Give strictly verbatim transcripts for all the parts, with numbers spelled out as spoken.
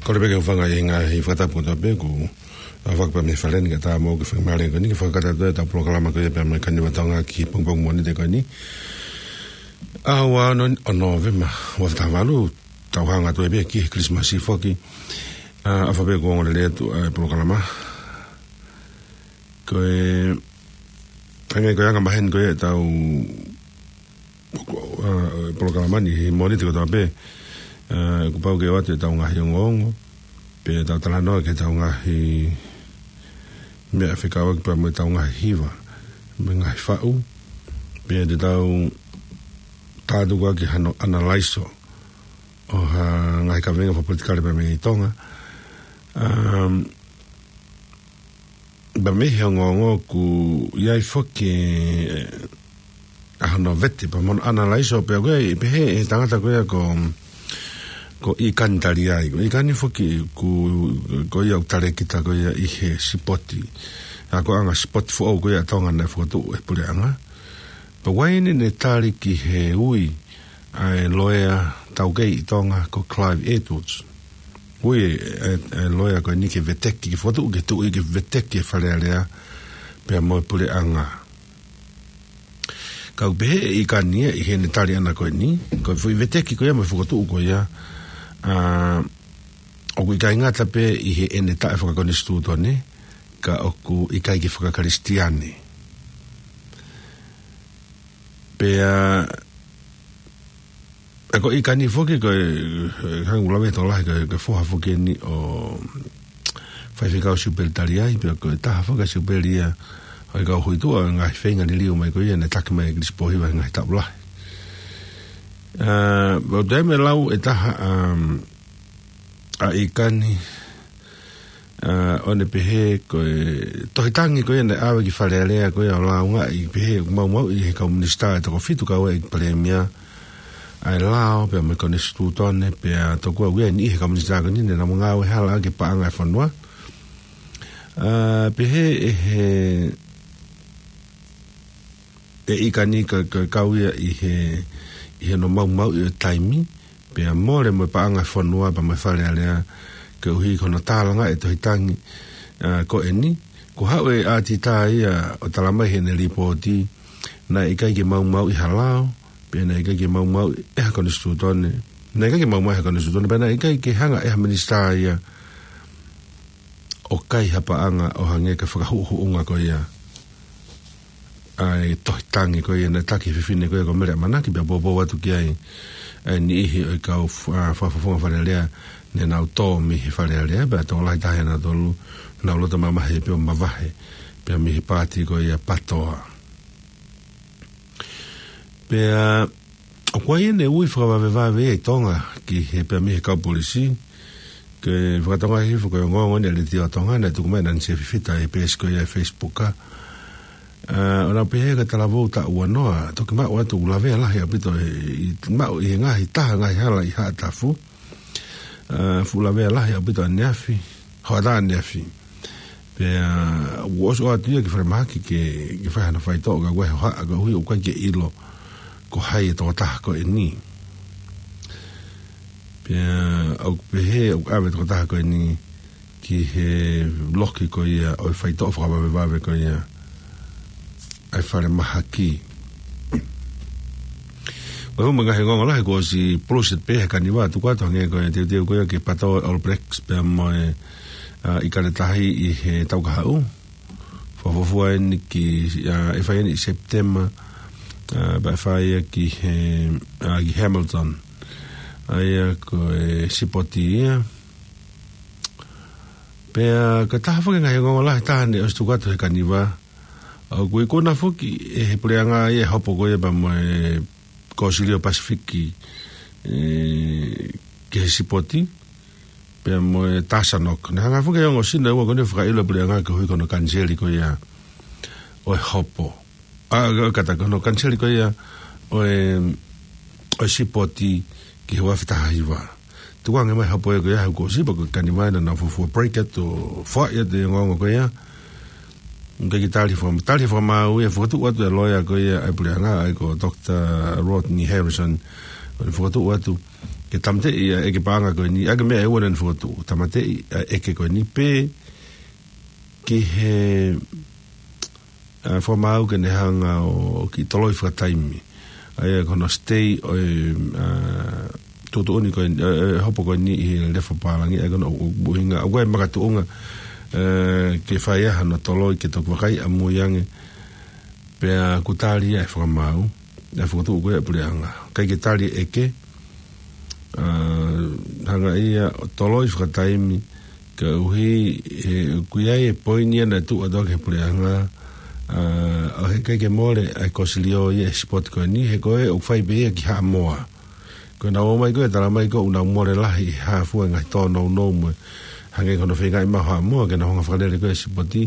Kole pē ke u hūfanga ʻi he ngaahi fakatapu kotoa pē kuo fakapā mei he fale ni kae ʻatā moʻoku ke fakamālō ko eni ke fakakakato atu ʻetau polokalama ko ia pea mo e Kaniva Tonga ki he pongipongi Mōnite ko eni. ʻAho ua ono ʻo Nōvema, ua afe taha valu, tau hanga atu pē ki he Kilisimasi foki. ʻA, ʻofa pē kuo ongo lelei atu ʻa e polokalama. Ko e, hangē ko e anga maheni ko ia ʻetau ʻa, polokalama ni he Mōnite kotoa pē, ʻa, kuo pau ke ʻoatu ʻetau ngaahi ongoongo, pea tau talanoa ki heʻetau ngaahi meʻa fekauʻaki pea mo ʻetau ngaahi hiva, mo e ngaahi faʻu, pea te tau tātuku ʻaki hano ʻanalaiso ʻo ha ngaahi kaveinga fakapolitikale pea mei Tonga. Um, Pea mei he ongoongo kuo ʻi ai foki, ʻa, hono vete, pea mo hono ʻanalaiso, pea ko e, pehē ʻe he tangata ko ia ko, ko ʻIkani Taliai. Ko ʻIkani foki ko, ko ia ʻoku talēkita ko ia ʻi he sipoti. ʻA, ko e anga sipoti foʻou ko ia ʻa Tonga naʻe fokotuʻu ʻe he puleʻanga. Pea ʻoku ʻi ai ʻene tali ki he ui ʻa e loea taukei ʻi Tonga ko Clive Edwards. Ui ʻa e, ʻa e loea ko eni ke veteki, ke fokotuʻu ke tuʻu ke veteki e Fale Alea pea mo e puleʻanga. Ka ʻoku pehē ʻe ʻIkani ia ʻi heʻene tali ʻana ko eni, ko e foʻi veteki ko ia mo e fokotuʻu ko ia, ʻa, ʻoku ʻikai ngata pē ʻi heʻene taʻefakakonisitūtone, ka ʻoku ʻikai ke fakakalisitiane. Pea, ʻa, ko ʻIkani foki ko e, ʻa, hangē ʻoku lave tokolahi ko e, ko e foha foki eni ʻo Faifekau Siupeli Taliai, pea ko e taha foki ʻa Siupeli ia ʻo e kau huituʻa ʻo e ngaahi feinga liliu mai ko ia naʻe taki mai ʻe Kilisi Pōhiva he ngaahi taʻu lahi. ʻA, ʻoku toe meʻa lau ʻe taha, um, ʻa ʻIkani, ʻa, ʻo ne pehē ko e tohi tangi ko ia naʻe ʻave ki Fale Alea ko ia ʻo lāungaʻi pehē ʻoku maumauʻi ʻe he kau minisitā ʻe toko fitu kau ai palēmia ʻa e lao pea mo e konisitūtone pea tokua ʻoku ʻi ai e niʻihi he kau minisitā ko eni naʻa nau ngāue hala ʻaki e paʻanga e fonua. ʻA, pehē ʻe he ʻe ʻIkani ka, ka kau ia ʻi he, ʻi he no maumauʻi ʻo e taimi, pea mole mo e paʻanga e fonua pea mo e Fale Alea, koeʻuhi ko hono tālanga e tohi tangi, ʻa, ko eni, kuo haʻu e ʻātita ia ʻo tala mai heʻene lipooti, naʻe ʻikai ke maumauʻi ha lao, pea naʻe ʻikai ke maumauʻi ʻe ha konisitūtone, naʻe ʻikai ke maumauʻi ha konisitūtone, pea naʻe ʻikai ke hanga ʻe ha minisitā ia ʻo kai ha paʻanga ʻo hangē ko e fakahuʻuhuʻunga ko ia ʻa e tohi tangi ko ia naʻe taki ʻe he fefine ko ia ko Mele ʻAmanaki pea poupou atu ki ai ʻa e niʻihi ʻo e kau f-, ʻa, fakafofonga Fale Alea naʻa nau tō mei he Fale Alea pea tokolahi taha ʻia nautolu naʻa nau loto mamahi pea mavahe pea mei he paati ko ia PATOA. Pea ʻoku ʻi ai ʻene ui fakavavevave ʻi Tonga ki he pea mei he kau polisi, ke fakatonga hifo ko e ongoongo ni ʻa e Letiō Tonga naʻe tuku mai ʻe Nanisia Fifita ʻi he peesi ko ia ʻa e Facebook ʻa. ʻA, ʻo nau pehē ka talavou taʻu ua noa, toki maʻu atu ʻoku lavea lahi ʻaupito ʻi, ʻi, maʻu ʻi he ngaahi taha ngaahi hala ʻi Haʻatafu. ʻA, fuʻu lavea lahi ʻaupito ʻaneafi, hoʻatā ʻaneafi. Pea, ʻa, ʻoku ʻosi ʻoatu ia ki falemahaki ke, ke fai hano faitoʻo ka ʻoku ʻi ai e hohaʻa koeʻuhi ʻoku ʻikai ke ʻilo ko hai e tokotaha ko eni. Pea, ʻoku pehē ʻoku ʻave e tokotaha ko eni ki he loki ko ia ʻo e faitoʻo fakavavevave ko ia ʻa e falemahaki. Ko e hū mai ngaahi ongoongo lahi kuo ʻosi pulusi pē he Kaniva, tuku atu hangē ko e teuteu ko ia ke PATOA e All Blacks pea mo e, ʻa, ʻIkale Tahi ʻi he taʻu kahaʻu. Fakafuofua eni ki, ʻa, ʻe fai eni ʻi Sepitema, ʻa, pea ʻe fai ia ki he, ʻa, ki Hamilton. ʻA ia ko e sipoti ia. Pea ko e taha foki e ngaahi ongoongo lahi taha naʻe ʻosi tuku atu he Kaniva, ʻoku ikuna foki ʻe he puleʻanga ia e hopo ko ia pea mo e Kōsilio Pasifiki, ʻe, ki he sipoti, pea mo e TASANOC. Naʻe hanga foki ʻe he ongo Sina ʻe ua ko eni ʻo fakaʻilo e puleʻanga koeʻuhi ko hono kaniseli ko ia ʻo e hopo. ʻA, ka, kātaki ko hono kaniseli ko ia ʻo e, ʻo e sipoti ki he ua afe taha hiva. Tukuange mai e hopo ia ko ia he kuo ʻosi pea ko e Kaniva naʻa nau fuofua break atu ʻo foaʻi atu e ongoongo ko ia. Ke ki tali faka-, tali fakamāu ia, fokotuʻu atu e loea ko ia ʻa e puleʻanga ʻa ia ko Doctor Rodney Harrison. ʻo ne fokotuʻu atu ke tāmateʻi ʻa e ʻeke paʻanga ko eni, ʻa e meʻa ʻe ua naʻa ne fokotuʻu, tāmateʻi ʻa e ʻeke ko eni pē ki he, ʻa, fakamaau ke ne hanga ʻo kiʻi toloi fakataimi ʻa ia ko hono stay ʻo e, ʻa, tuʻutuʻuni ko eni, ʻa, ʻa e hopo ko eni ʻi he lefo pālangi, ʻa ia ko hono ʻuhinga, ʻoku ʻi ai e makatuʻunga, ʻa, ke fai ai hano toloi ke toki vakai ʻamui ange, pea kuo tali ʻa e fakamaau, ʻa e fokotuʻu ko ia ʻa e puleʻanga. ʻIkai ke tali e ʻeke, ʻa, hanga ia ʻo toloi fakataimi, koeʻuhi he ʻoku ʻi ai e poini ia naʻe tuʻu atu ki he puleʻanga, ʻa, ʻo he ʻikai ke mole ʻa e Kosilio ia he sipoti ko eni, he ko e ʻoku fai pē ia ki Haʻamoa. Ko ʻenau ō mai ko e talamai ko ʻenau mole lahi ʻi he hā fua e ngaahi tōnounou mo e hangē ko hono feingaʻi maʻu Haʻamoa ke nau hanga fakalele ko e sipoti.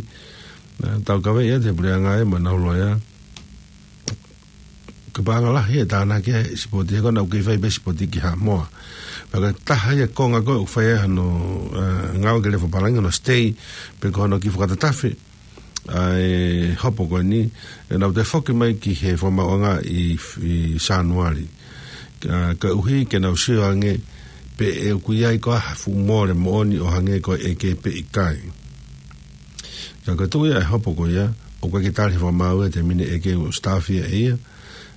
Naʻa tau kavei ia ʻe he puleʻanga ia mo ʻenau loea. Ko e paʻanga lahi ʻe tānaki ai e sipoti, he ko ʻenau kei fai pē sipoti ki Haʻamoa. Pea ko e taha ia e konga ko ē ʻoku fai ai hano, ʻa, ngāue ki he lefo pālangi, hono stay, pe ko hono kiʻi fakatatafe ʻa e hopo ko eni, ʻenau toe foki mai ki he fakamaauʻanga ʻi, ʻi Sānuali. ʻA, koeʻuhi ke nau sio ange pe ʻoku ʻi ai ko ha fuʻu mole moʻoni ʻo hangē ko e ʻeke pe ʻikai. Ka ko e tuʻu ia ʻa e hopo ko ia, ʻoku ʻikai ke tali he fakamaau ia he taimi ni e ʻeke, ʻoku staff ia ʻe ia.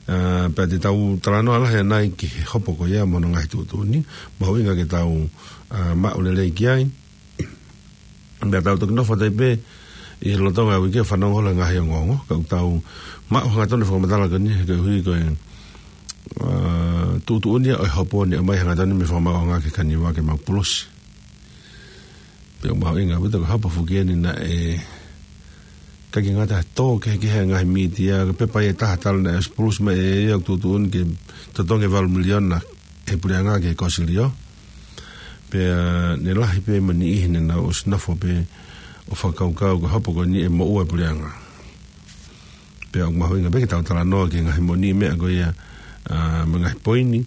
ʻA, pea te tau talanoa lahi ʻanai ki he hopo ko ia mo hono ngaahi tuʻutuʻuni, mahuʻinga ke tau, ʻa, maʻu lelei ki ai. Pea tau toki nofo atu ai pē ʻi he lolotonga e uike ʻo fanongo holo he ngaahi ongoongo, ka ʻoku tau maʻu hangatonu e fakamatala ko eni, he koeʻuhi ko e, ʻa, tuʻutuʻuni ia ʻo e hopo ni ʻomai hangatonu mei he fakamaauʻanga ki he Kaniva ke mau pulusi. Pea ʻoku mahuʻinga ʻaupito ko e hopo foki eni naʻe ʻikai ke ngata he tō kehekehe e ngaahi mītia, ko e pepa ia ʻe taha talu naʻe ʻosi pulusi mai ʻe ia ʻoku tuʻutuʻuni ke totongi e valu miliona ʻe he puleʻanga ki he Kosilio. Pea ne lahi pē mo e niʻihi ne nau ʻosi nofo pē ʻo fakakaukau ko e hopo ko eni ʻe moʻua e puleʻanga. Pea ʻoku mahuʻinga pē ke tau talanoa ki he ngaahi moʻoniʻi meʻa ko ia, ʻa, mo e ngaahi poini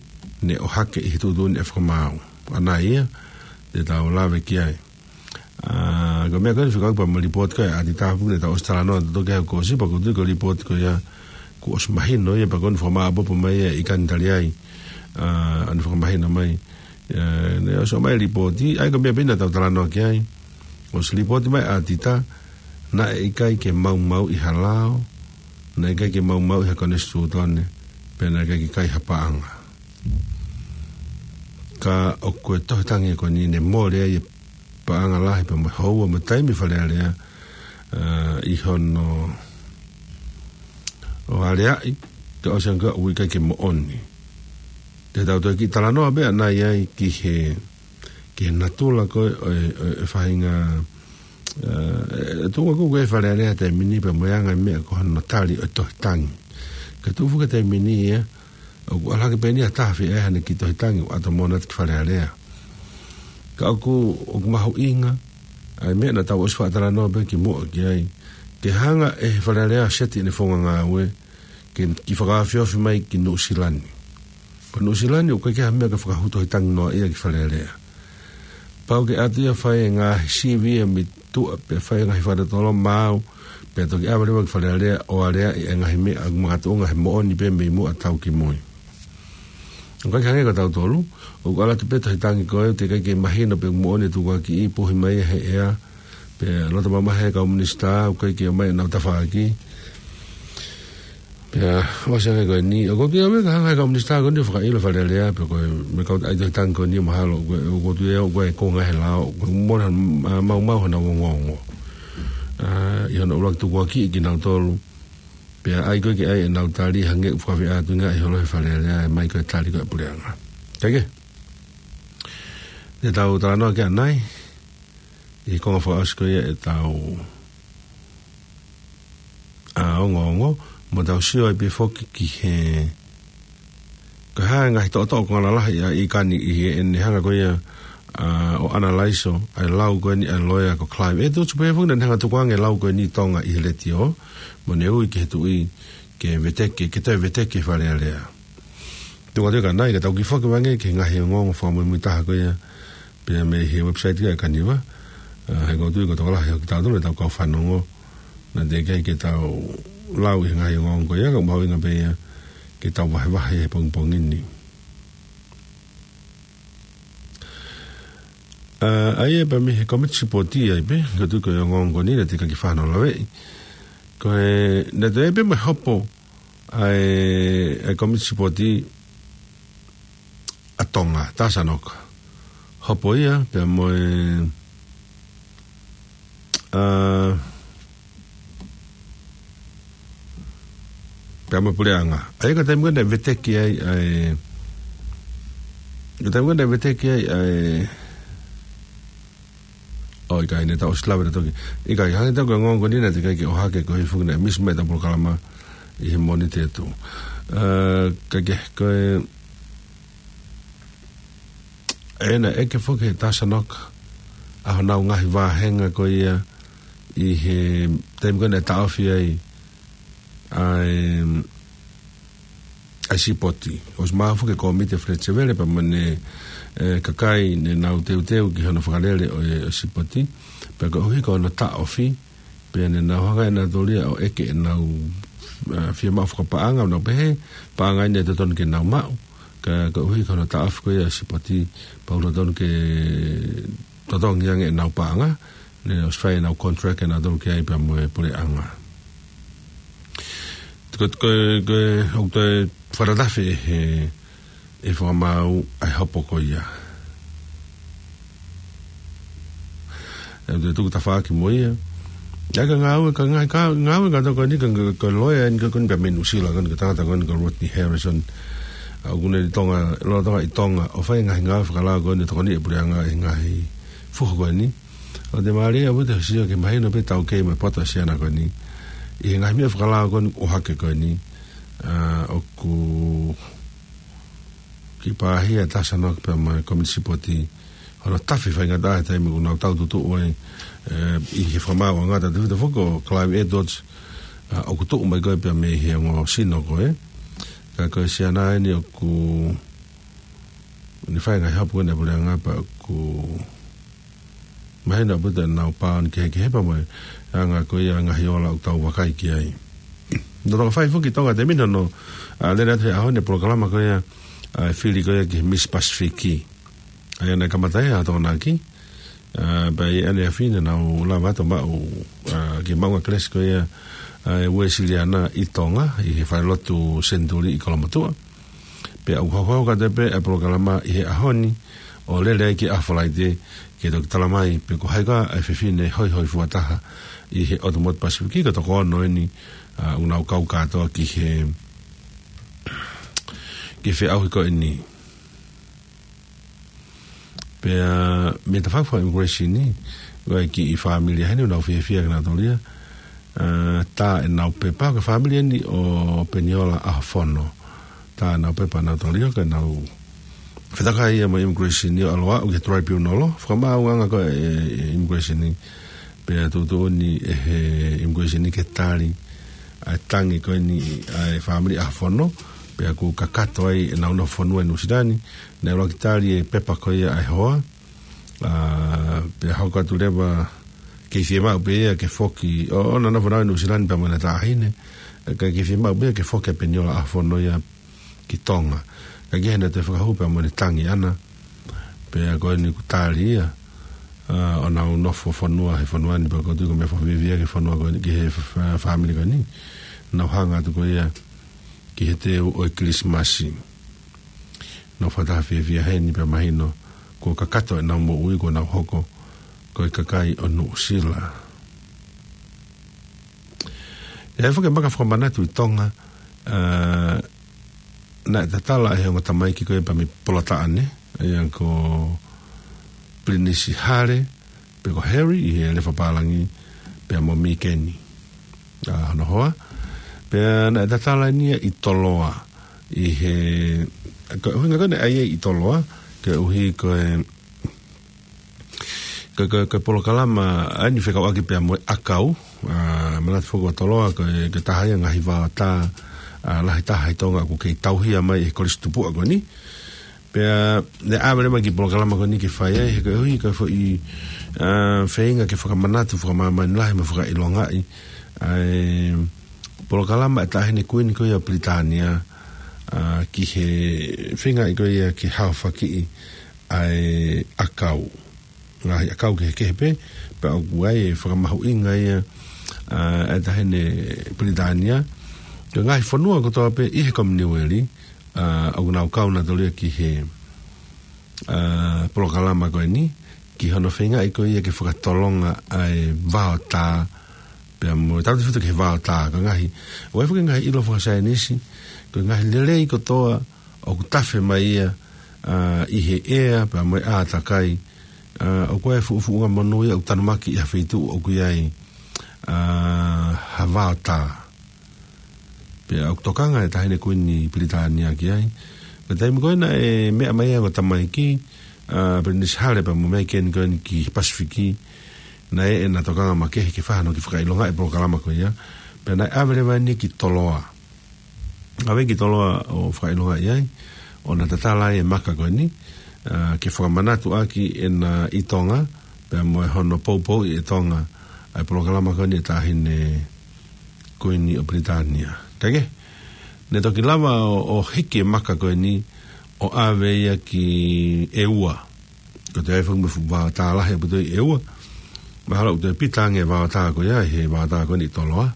ne ʻohake ʻi he tuʻutuʻuni ʻa e fakamaau. ʻAnai ia, te tau lave ki ai. ʻA, ko e meʻa ko eni fekauʻaki pea mo e lipooti ko ia ʻa ʻAtita, pea ne tau ʻosi talanoa atu ki ai kuo ʻosi, pea ʻoku ou tui ko e lipooti ko ia kuo ʻosi mahino ia, pea ko eni fakamāʻopoʻopo mai ia ʻe Ikani Taliai, ʻa, ʻa ʻene fakamahino mai. ʻA, ne ʻosi ʻomai e lipooti, ʻa ia ko e meʻa pē naʻa tau talanoa ki ai. ʻOsi lipooti mai ʻa ʻAtita, naʻe ʻikai ke maumauʻi ha lao, naʻe ʻikai ke maumauʻi ha konisitūtone, pea naʻe ʻikai ke kai ha paʻanga. Ka ʻoku ʻi ai e tohi tangi ko eni ne mole ai e paʻanga lahi pea mo e houa mo e taimi Fale Alea, ʻa, ʻi hono ʻo aleaʻi, ka ʻosi ange ʻoku ʻikai ke moʻoni. Te tau toe kiʻi talanoa pē ʻanai ai ki he, ki he natula ko ē ʻo e, ʻo e, ʻo e faʻahinga, ʻa, ʻe, ʻe tuʻunga ko ē Fale Alea he taimi ni pea mo e anga e meʻa ko hono tali ʻo e tohi tangi. Ka tuʻu foki he taimi ni ia, ʻoku ʻalu hake pē eni ha taha ʻo fai haʻane kiʻi tohi tangi ʻo ʻato moʻoni atu ki Fale Alea. Ka ʻoku, ʻoku mahuʻinga ʻa e meʻa naʻa tau ʻosi faʻa talanoa pē kimuʻa ki ai, ke hanga ʻe he Fale Alea ʻo seti ʻene founga ngāue ke kiʻi fakaofiofi mai ki Nuʻusila ni. Ko Nuʻusila ni ʻoku ʻikai ke ʻi ai ha meʻa ke fakahū tohi tangi noa ia ki Fale Alea. Pau ke ʻatu ia ʻo fai e ngaahi sivi ia mei tuʻa, pea fai e ngaahi fakatotolo maau, pea toki ʻave leva ki Fale Alea ʻo aleaʻi e ngaahi meʻa ʻoku makatuʻunga he moʻoni pē mei muʻa tau ki mui. ʻOku ʻikai ke hangē ko tautolu, ʻoku ʻalu atu pē tohi tangi ko ē, teʻeki ai ke mahino pe ʻoku moʻoni e tukuakiʻi, puhi mai ia he ʻea, pea loto mamahi e kau minisitā, ʻoku ʻikai ke ʻomai ʻenau tafaʻaki. Pea ʻosi ange ko eni, ʻoku ou tui au ia ka hanga ʻe he kau minisitā ko eni ʻo fakaʻilo Fale Alea, pea ko e meʻa ko e tohi tangi ko eni mahalo, ʻoku, ʻoku ou tui au ko e konga he lao, ʻoku mole, ʻa, maumau hona ongoongo. ʻA, ʻi hono ʻuluaki tukuakiʻi kinautolu, pea ʻai ko ē ke ʻai ʻenau tali hangē ʻoku fakafiʻa atu ʻi he ngaahi holo he Fale Alea, ʻe ʻomai ko e tali ko ē ʻa e puleʻanga. Kae kehe, te tau talanoa ki ai ʻanai, ʻi he konga fakaʻosi ko ia ʻetau, ʻa, ongoongo, mo tau sio ai pē foki ki he, ko e hā e ngaahi toʻotoʻo konga lalahi ʻa Ikani ʻi heʻene hanga ko ia, ʻa, ʻo analaiso ʻa e lau ko eni ʻa e loea ko Clive. ʻE tuʻu pē foki naʻa ne hanga ʻo tukuange e lau ko eni ʻi Tonga ʻi he letiō, mo ne ui ki he tuʻi ke veteki, ke toe veteki e Fale Alea. Tuku atu ia ʻanai, ka tau kiʻi foki ange ki he ngaahi ongoongo fakamuimui taha ko ia, pea mei he website ko ia ʻa e Kaniva, ʻa, he ʻoku ou tui ko e tokolahi ʻo kitautolu ʻetau kau fanongo, naʻe teʻeki ai ke tau lau ʻi he ngaahi ongoongo ko ia, ka ʻoku mahuʻinga pē ia ke tau vahevahe he pongipongi ni. ʻA ia pea mei he komiti sipoti ai pē, ko tu ko e ongoongo ko eni naʻe teʻeki ke fano laveʻi. Ko e, naʻe toe pē mo e hopo ʻa e, ʻa e komiti sipoti ʻa Tonga, Tasanoka. Hopo ia, pea mo e, ʻa, pea mo e puleʻanga. ʻA ia ko e taimi ko ē naʻe veteki ai, ʻa e, ko e taimi ko ē naʻe veteki ai, ʻa e, ʻo ʻikai ne ta ʻosi lave na toki. ʻIkai, hangē toki ko e ongoongo ko eni naʻe teʻeki ke ʻohake ko e hifo naʻe misi mai ʻetau polokalama ʻi he Mōnite atu. ʻA, ka ke, ko e, ʻe naʻe ʻeke foki ʻe Tasanoka ʻa honau ngaahi vāhenga ko ia ʻi he taimi ko ē naʻe taʻofi ai ʻa e, ʻa e sipoti. ʻOsi maʻu foki ʻe he komiti ʻa Fletcher Vele pea mo ʻene, ʻe, kakai ne nau teuteu ki hono fakalele ʻo e, ʻo e sipoti. Pea koeʻuhi ko hono taʻofi, pea ne nau hanga ʻe nautolu ia ʻo ʻeke ʻenau, ʻa, fiemaʻu fakapaʻanga, ʻo nau pehē, paʻanga eni ʻe totonu ke nau maʻu. Ka, koeʻuhi ko hono taʻofi ko ia ʻa e sipoti, pau totonu ke totongi ange ʻenau paʻanga, ne ʻosi fai ʻenau contract ʻe nautolu ki ai pea mo e puleʻanga. Ko, ko, ko, ʻoku toe fakatafe ʻe he, ʻe he fakamaau ʻa e hopo ko ia. ʻE toe tuku tafaʻaki mo ia. ʻA ia ko e ngāue, ko e ngaahi, ko e ngāue kātoa ko eni, ko e, ko e loea eni ko eni pea mei Nuʻusila ko eni, ko e tangata ko eni ko Rodney Harrison. ʻA, ʻoku ne ʻi Tonga, lolotonga ʻi Tonga, ʻo fai e ngaahi ngāue fakalao ko eni, tokoni ʻe he puleʻanga ʻi he ngaahi fuhu ko eni. ʻOku te mālie ʻaupito hoʻo sio ke mahino pē taukei mo e poto ʻa e siana ko eni. ʻI he ngaahi meʻa fakalao ko eni ʻohake ko eni, ʻa, ʻoku kiʻi pāhia ʻa Tasanoka pea mo e komiti sipoti, hono tafe faingataʻa he taimi ʻoku nau tau tutuʻu ai, ʻe, ʻi he fakamaauʻanga, tautefito foki ko Clive Edwards, ʻa, ʻoku tuʻu mai ko ē pea mei he ongo sino ko ē. Ka ko e siana eni ʻoku ne fai e ngaahi hopo ko eni ʻa e puleʻanga pea ʻoku mahino ʻaupito ʻenau paʻanga kehekehe pea mo e anga ko ia e ngaahi ola ʻoku tau vakai ki ai. Naʻe toki fai foki ʻi Tonga he taimi ni hono, ʻa, lele atu he ʻaho ni e polokalama ko ia, ʻa, e fili ko ia ki he Miss Pacific. ʻA ia naʻe kamata ia ʻi Tokonaki. ʻA, pea ʻi heʻene afi naʻa nau lava atu ʻo maʻu, ʻa, ke maʻu ʻa e kelesi ko ia, ʻa, e Uēsiliana ʻi Tonga, ʻi he falelotu Senituli ʻi Kolomotuʻa. Pea ʻoku hokohoko atu pē ʻa e polokalama ʻi he ʻaho ni, ʻo lele ai ki he ʻaho Falaite, ke toki talamai pe ko hai koā ʻa e fefine hoihoifua taha ʻi he ʻotu motu Pasifiki, ko e toko ono eni, ʻa, ʻoku nau kau kātoa ki he, ki he feʻauhi ko eni. Pea mei he tafaʻaki faka-immigration ni, ʻoku ʻi ai e kiʻi fāmili heni ʻoku nau fiefia ke nau tōlia, ʻa, tā ʻenau pepa, ko e fāmili eni ʻo Peniola ʻAhofono. Tā ʻenau pepa ʻo nau tōlia, ka nau fetakai ia mo e immigration ni ʻo ʻalu ʻo aʻu ki he tribunal, fakamaauʻanga ko ē ʻa e immigration ni. Pea tuʻutuʻuni ʻe he immigration ni ke tali ʻa e tangi ko eni ʻa e fāmili ʻAhofono, pea ʻoku kakato ai ʻenau nofo fonua ʻi Nuʻusila ni, naʻe ʻuluaki tali e pepa ko ia ʻa e hoa, ʻa, pea hoko atu leva ke fiemaʻu pē ia ke foki, ʻo, ʻo na nofo ʻi Nuʻusila ni pea mo ʻena taʻahine, ka ke fiemaʻu pē ia ke foki ʻa Peniola ʻAhofono ia ki Tonga. Ka ke hena te fakahū pea mo ʻene tangi ʻana, pea ko eni kuo tali ia, ʻa, ʻo nau nofo fonua he fonua ni pea ʻoku ou tui ko e meʻa fakafiefia ki he fonua ko eni, ki he f-, f-, fāmili ko eni. Nau hanga atu ko ia ki he teu ʻo e Kilisimasi. Nau fakataha fiefia heni pea mahino kuo kakato ʻenau moʻui kuo nau hoko ko e kakai ʻo Nuʻusila. ʻI ai foki e maka fakamanatu ʻi Tonga, ʻa, naʻe tatala ʻe he ongo tamaiki ko ē pea mei Polataʻane, ʻa ia ko Pilinisi Hale, pe ko Harry ʻi he Lefapālangi, pea mo Mīkeni, ʻa, hono hoa. Pea naʻe tatala eni ia ʻi Toloa, ʻi he, ko e ʻuhinga ko ē naʻe ʻai ai ʻi Toloa, koeʻuhi ko e, ko e, ko e, ko e polokalama ʻa eni fekauʻaki pea mo e ʻakau, ʻa, manatu foki ʻa Toloa, ko e, ko e taha ia e ngaahi vaotā, ʻa, lahi taha ʻi Tonga ʻoku kei tauhia mai ʻe he Kolisi Tupuʻa ko eni. Pea, naʻe ʻave leva e kiʻi polokalama ko eni ke fai ai, he koeʻuhi ko e foʻi, ʻa, feinga ke fakamanatu, fakamāmani lahi mo fakaʻilongaʻi ʻa e polokalama ʻa e Taʻahine Kuini ko ia ʻo Pilitānia, ʻa, ki he feingaʻi ko ia ke haofakiʻi ʻa e ʻakau. ngaahi ʻakau kehekehe pē, pea ʻoku ʻi ai e fakamahuʻinga ia, ʻa, ʻa e taʻahine Pilitānia, ki he ngaahi fonua kotoa pē ʻi he Kominiueli, ʻa, ʻoku nau kau nautolu ia ki he, ʻa, polokalama ko eni, ki hono feingaʻi ko ia ke fakatolonga ʻa e vaotā, pea mo e tautefito ki he vaotā, ko e ngaahi, ʻoku ʻi ai foki e ngaahi ʻilo fakasaienisi, ko e ngaahi lelei kotoa ʻoku tafe mai ia, ʻa, ʻi he ʻea, pea mo e ʻātakai, ʻa, ʻoku ʻi ai e fuʻu fuʻunga monū ia ʻoku tanumaki ʻi ha feituʻu ʻoku ʻi ai, ʻa, ha vaotā. Pea ʻoku tokanga e taʻahine Kuini Pilitānia ki ai. Ko e taimi ko ē naʻe meʻa mai ai ʻa e ongo tamaiki, ʻa, Pilinisi Hale pea mo Megani ko eni ki Pasifiki, naʻe ʻi ai ʻena tokanga makehe ke fai hano kiʻi fakaʻilongaʻi e polokalama ko ia. Pea naʻe ʻave leva eni ki Toloa. ʻAve ki Toloa ʻo fakaʻilongaʻi ai, ʻo na tatala ai e maka ko eni, ʻa, ke fakamanatu ʻaki ʻenau ʻi Tonga, pea mo e hono poupouʻi ʻe Tonga ʻa e polokalama ko eni ʻa e taʻahine Kuini ʻo Pilitānia. Kae kehe, naʻe toki lava ʻo, ʻo hiki e maka ko eni ʻo ʻave ia ki ʻEua. Ko e toe ʻi ai foki mo e fuʻu vaotā lahi ʻaupito ʻi ʻEua. Mahalo ʻoku toe pita ange e vaotā ko ia, he vaotā ko eni ʻi Toloa.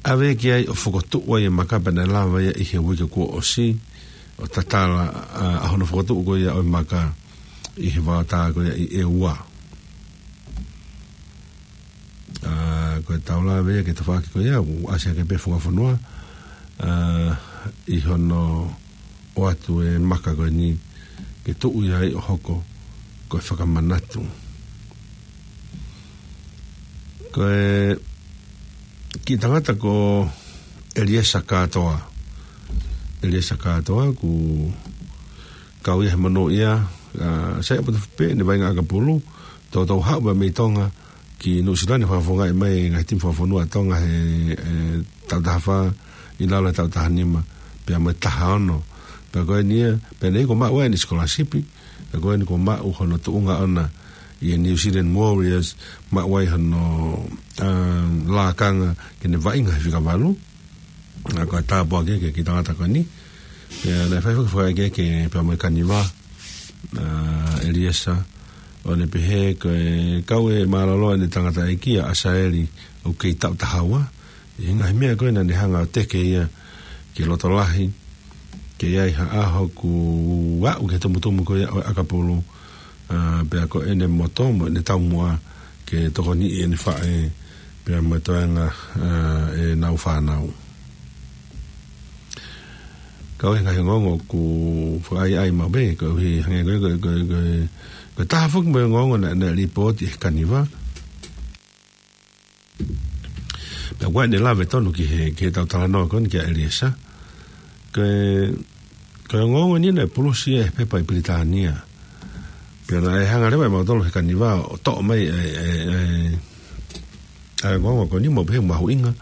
ʻAve ki ai ʻo fokotuʻu ai e maka pea naʻe lava ia ʻi he uike kuo ʻosi, ʻo tatala, ʻa, ʻa hono fokotuʻu ko ia ʻo e maka ʻi he vaotā ko ia ʻi ʻEua. ʻA, ko e taulave ia ki he tafaʻaki ko ia, ʻoku ʻasi hake pē e funga fonua, ʻa, ʻi hono ʻoatu e maka ko eni ke tuʻu ia ai ʻo hoko ko e fakamanatu. Ko e kiʻi tangata ko ʻEliesa Kātoa. ʻEliesa Kātoa ʻoku kau ia he monūʻia, ʻa, sai ʻaupito pē ʻene vaʻinga ʻakapulu, toutou haʻu pē mei Tonga ki Nuʻusila ni, fakafofongaʻi mai e ngaahi timi fakafonua ʻa Tonga he, e, taʻu taha fā ʻi lalo he taʻu taha nima, pea mo e taha ono. Pea ko eni ia, pea naʻe ʻikai ke maʻu ai ʻene sikolasipi, pea ko eni kuo maʻu hono tuʻunga ʻona ʻi he New Zealand Warriors, maʻu ai hono, ʻa, lakanga ke ne vaʻinga he fika valu. ʻA, ko e tāpuaki ia ki he kiʻi tangata ko eni. Pea naʻe fai foki e fakaʻekeʻeke pea mo e Kaniva, ʻa, ʻEliesa, ʻo ne pehē ko e kau e mālōlō ʻene tangataʻeiki ʻa ʻAsaeli ʻoku kei taʻu taha ua. ʻI he ngaahi meʻa ko ē naʻa ne hanga ʻo teke ia ki loto lahi, ke ʻi ai ha ʻaho ʻoku aʻu ki he tumutumu ko ia ʻo e ʻakapulu, ʻa, pea ko ʻene moto mo ʻene taumuʻa ke tokoniʻi ʻene faʻē, pea mo e toenga, ʻa, ʻenau fānau. Kau he ngaahi ongoongo ʻoku fakaʻaiʻai maʻu pē, koeʻuhi hangē ko e, ko e, ko e, ko e, ko e taha foki mo e ongoongo naʻe, naʻe lipooti ʻe he Kaniva. Pea ʻoku ʻi ai ʻene lave tonu ki he, ki heʻetau talanoa ko eni kia ʻEliesa. Ko e, ko e ongoongo eni naʻe pulusi ia ʻe he pepa ʻi Pilitānia. Pea naʻe hanga leva ʻe mautolu he Kaniva ʻo toʻo mai e, e, e, ʻa e ongoongo ko eni mo pehē mahuʻinga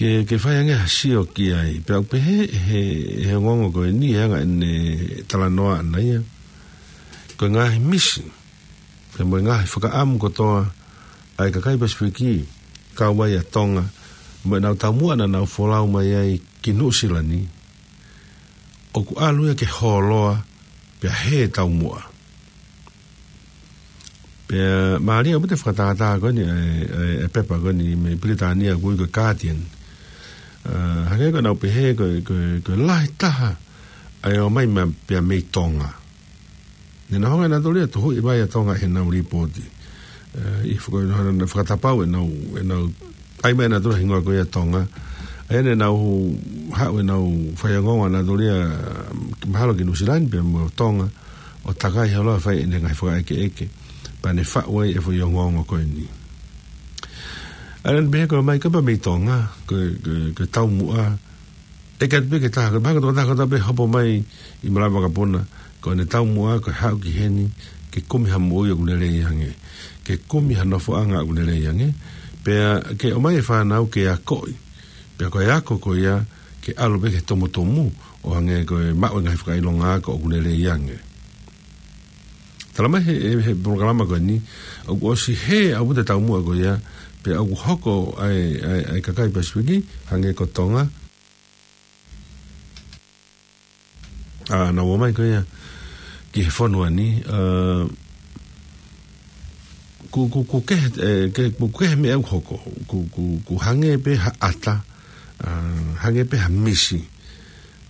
ke, ke fai ange ha sio ki ai. Pea ʻoku pehē he, he ongoongo ko eni, he anga ʻene talanoa ʻana ia, ko e ngaahi misi pea mo e ngaahi fakaʻamu kotoa ʻa e kakai Pasifiki, kau ai ʻa Tonga, mo ʻenau taumuʻa naʻa nau folau mai ai ki Nuʻusila ni, ʻoku ʻalu ia ke hōloa, pea hē taumuʻa. Pea mālie ʻaupito e fakatātā ko eni, e, e, e pepa ko eni mei Pilitānia ʻoku ui ko e Guardian. ʻA, hangē ko ʻenau pehē ko, ko, ko e lahi taha ʻa e ō mai ma, pea mei Tonga. Ne nau hanga ʻe nautolu ia ʻo tuhuʻi mai ʻa Tonga heʻenau lipooti. ʻE, ʻi he faka-, naʻa nau fakatapau ʻenau, ʻenau ʻai mai ʻe nautolu e hingoa ko ia Tonga. ʻA ia ne nau haʻu ʻenau fai ongoongo ʻa nautolu ia, mahalo ki Nuʻusila ni pea mo Tonga, ʻo takai holo ʻo fai ʻenau ngaahi fakaʻekeʻeke. Pea ne faʻu ai e foʻi ongoongo ko eni. ʻA ia ne pehē ko e ō mai ko ē pea mei Tonga, ko, ko, ko e taumuʻa, ʻe ʻikai pē ke taha, ko e mahalo ko e tokotaha kotoa pē hopo mai ʻi malava vakapuna, ko ʻene taumuʻa ko e haʻu ki heni ke kumi ha moʻui ʻoku lelei ange, ke kumi ha nofoʻanga ʻoku lelei ange, pea ke ʻomai e fānau ke akoʻi, pea ko e ako ko ia ke ʻalu pē ki he tumutumu, ʻo hangē ko e maʻu e ngaahi fakaʻilonga ako ʻoku lelei ange. Tala mai he, he, he polokalama ko eni, ʻoku ʻosi hē ʻaupito e taumuʻa ko ia, pea ʻoku hoko ai, ai, ai kakai Pasifiki, hangē ko Tonga, ʻa, naʻa nau ō mai ko ia ki he fonua ni, ā, ʻoku, ʻoku, ʻoku kehe, ē, ke, ʻoku kehe meʻa ʻoku hoko, ʻoku, ʻoku, ʻoku hangē pē ha ʻata, ā, hangē pē ha misi,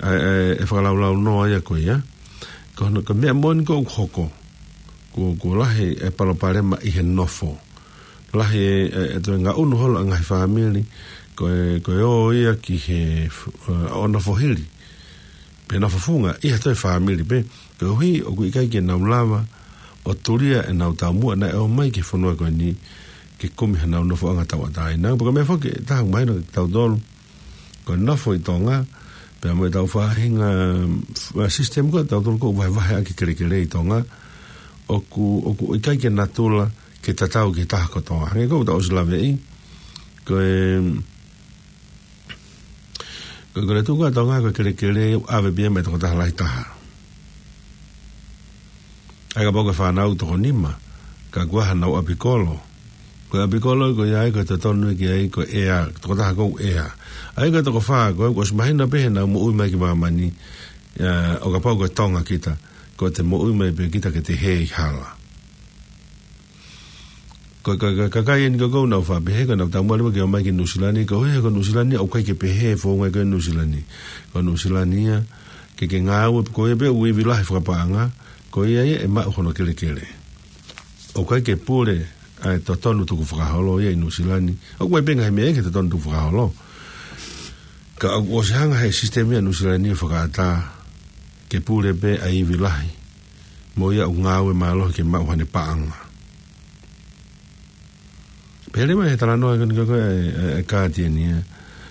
ē, ē, ʻe fakalaulaunoa ia ko ia. Ko hono, ko e meʻa moʻoni ko ē ʻoku hoko, ʻoku, ʻoku lahi e palopalema ʻi he nofo. Lahi e, e, e toe ngaʻunu holo ʻa e ngaahi fāmili, ko e, ko e ō ia ki he, ē, ʻo nofo hili, pe nofo funga ʻi ha toe fāmili pē, koeʻuhi ʻoku ʻikai ke nau lava ʻo tulia ʻenau taumuʻa naʻe ʻomai ki he fonua ko eni ke kumi hanau nofoʻanga tauʻatāina. Pea ko e meʻa foki ʻe taha ʻoku mahino kiate kitautolu, ko e nofo ʻi Tonga, pea mo ʻetau faʻahinga, ā, system ko ē ʻatautolu ʻoku vahevahe ʻaki e kelekele ʻi Tonga, ʻoku, ʻoku ʻikai ke natula ke tatau ki he taha kotoa. Hangē ko ʻetau ʻosi laveʻi, ko e, ko e, ko e tuʻu ko ē ʻa Tonga ko e kelekele ʻoku ʻave pē ia mei he tokotaha lahi taha. ʻA ia kapau ko e fānau toko nima, ka ʻoku ʻi ai hanau ʻapikolo, ko e ʻapikolo ko ia ai ko e totonu ki ai ko e ʻea, tokotaha ko ē ʻea. ʻA ia ko e toko fā, ko e ʻoku ʻosi mahino pē heʻenau moʻui mai ki māmani, ā, ʻo kapau ko e Tonga kita, ko ʻete moʻui mai pē kita ke te hē ʻi hala. Ko e, ko e, ko e kakai eni ko ē ʻoku nau faʻa pehē, ko ʻenau taumuʻa leva ke ō mai ki Nuʻusila ni, koeʻuhi ko Nuʻusila ni ʻoku ʻikai ke pehē founga ko ē ʻi Nuʻusila ni. Ko Nuʻusila ni ia, ke ke ngāue, ko ia pē ʻoku ivi lahi fakapaʻanga, ko ia ia ʻe maʻu hono kelekele. ʻOku ʻikai ke pule ʻa e totonu tukufakaholo ia ʻi Nuʻusila ni. ʻOku ʻi ai pē ngaahi meʻa ia ki he totonu tukufakaholo. Ka ʻoku ʻosi hanga ʻe he sisitemi ʻa Nuʻusila ni ʻo fakaʻatā ke pule pē ʻa e ivi lahi mo ia ʻoku ngāue mālohi ke maʻu haʻane paʻanga. Pehē leva ʻe he talanoa ko eni ko ē ʻa e, ʻa e, ʻa e kātieni ia,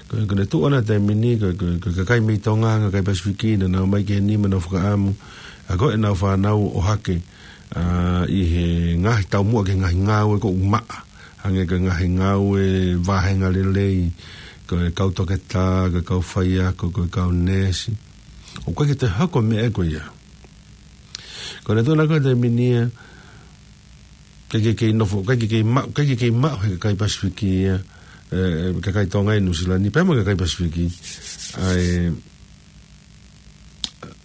ko e, ko ʻene tuʻu ʻona he taimi ni, ko e, ko e, ko e kakai mei Tonga, kakai Pasifiki, naʻa nau ō mai ki heni mo nau fakaʻamu ʻa ko ē ʻenau fānau ʻohake, ā, ʻi he ngaahi taumuʻa ki he ngaahi ngāue ʻoku maʻa, hangē ko e ngaahi ngāue vāhenga lelei, ko e kau toketā, ko e kau faiako, ko e kau neesi. ʻOku ʻikai ke toe hoko e meʻa ko ia. Ko ʻene tuʻu ʻona ko ē he taimi ni ia, ʻikai ke kei nofo, ʻikai ke kei ma-, ʻikai ke kei maʻu ʻe he kakai Pasifiki ia, ē, ē, kakai Tonga ʻi Nuʻusila ni, pea mo e kakai Pasifiki, ʻa e,